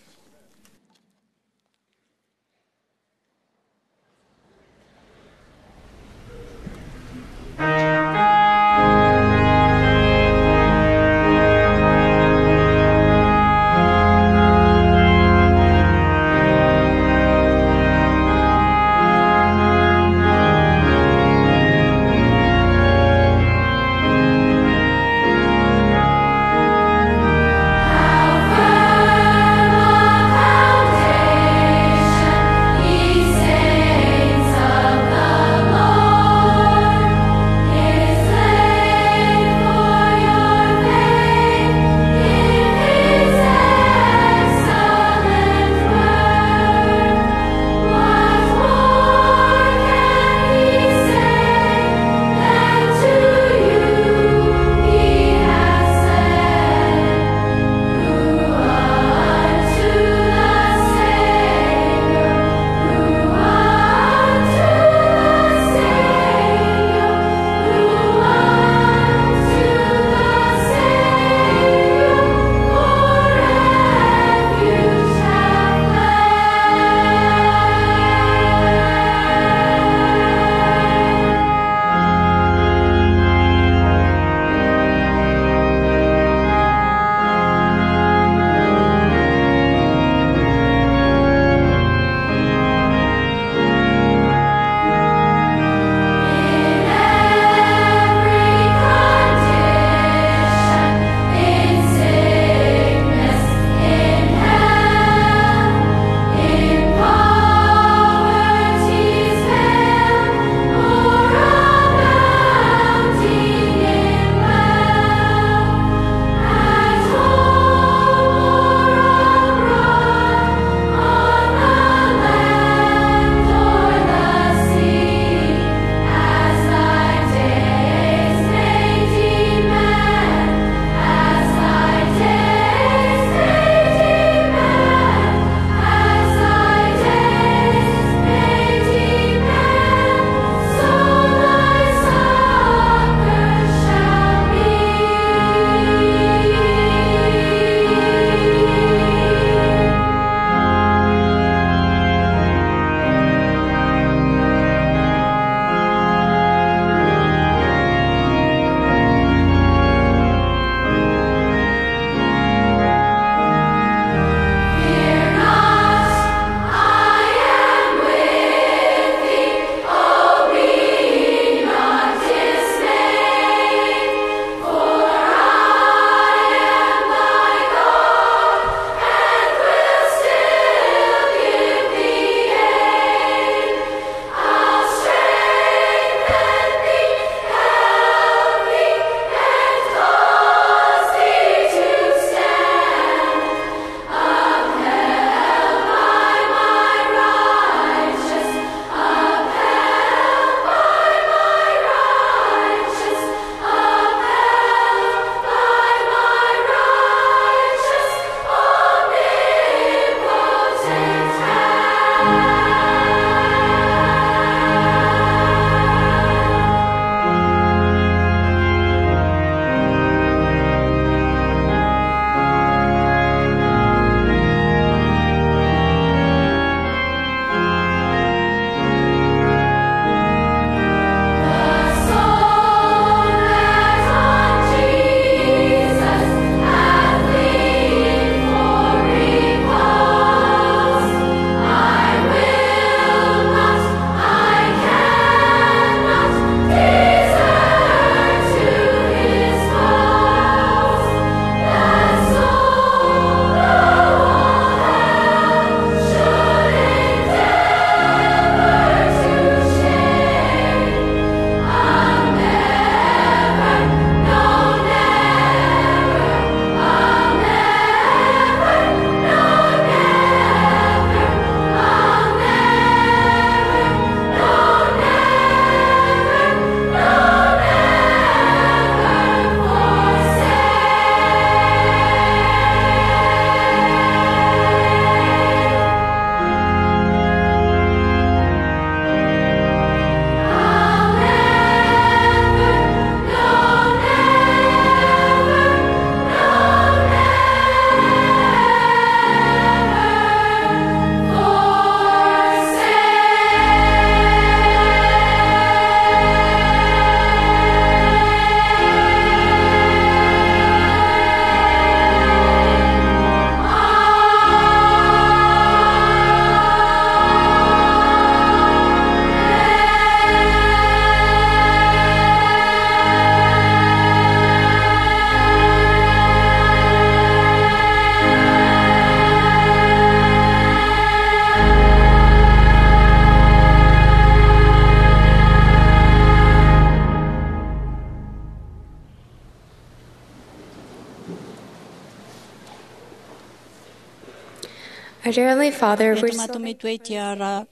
Our dear Heavenly Father, e we're tō so mātou Metua i te ara,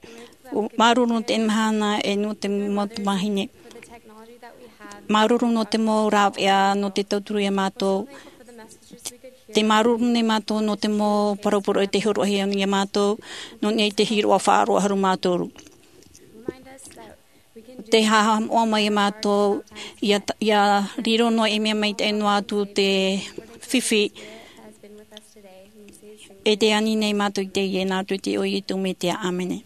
māuruuru nō te mahana e nō te mau tamāhine. Māuruuru nō te mau rāveʻa, nō te tauturu iā mātou. Te māuruuru nei mātou nō te mau parau poroʻi e te hōroʻahia nei iā mātou, nō niʻa i te hiroʻa faʻaroʻo ʻahuru mā toru. Te haʻamoʻa mai iā mātou, ia, ia riro noa i mea maitaʻi noa atu te fifi, e te ani nei mātou i teie nā roto i te iʻoa o Iesu Mesia. ʻĀmene.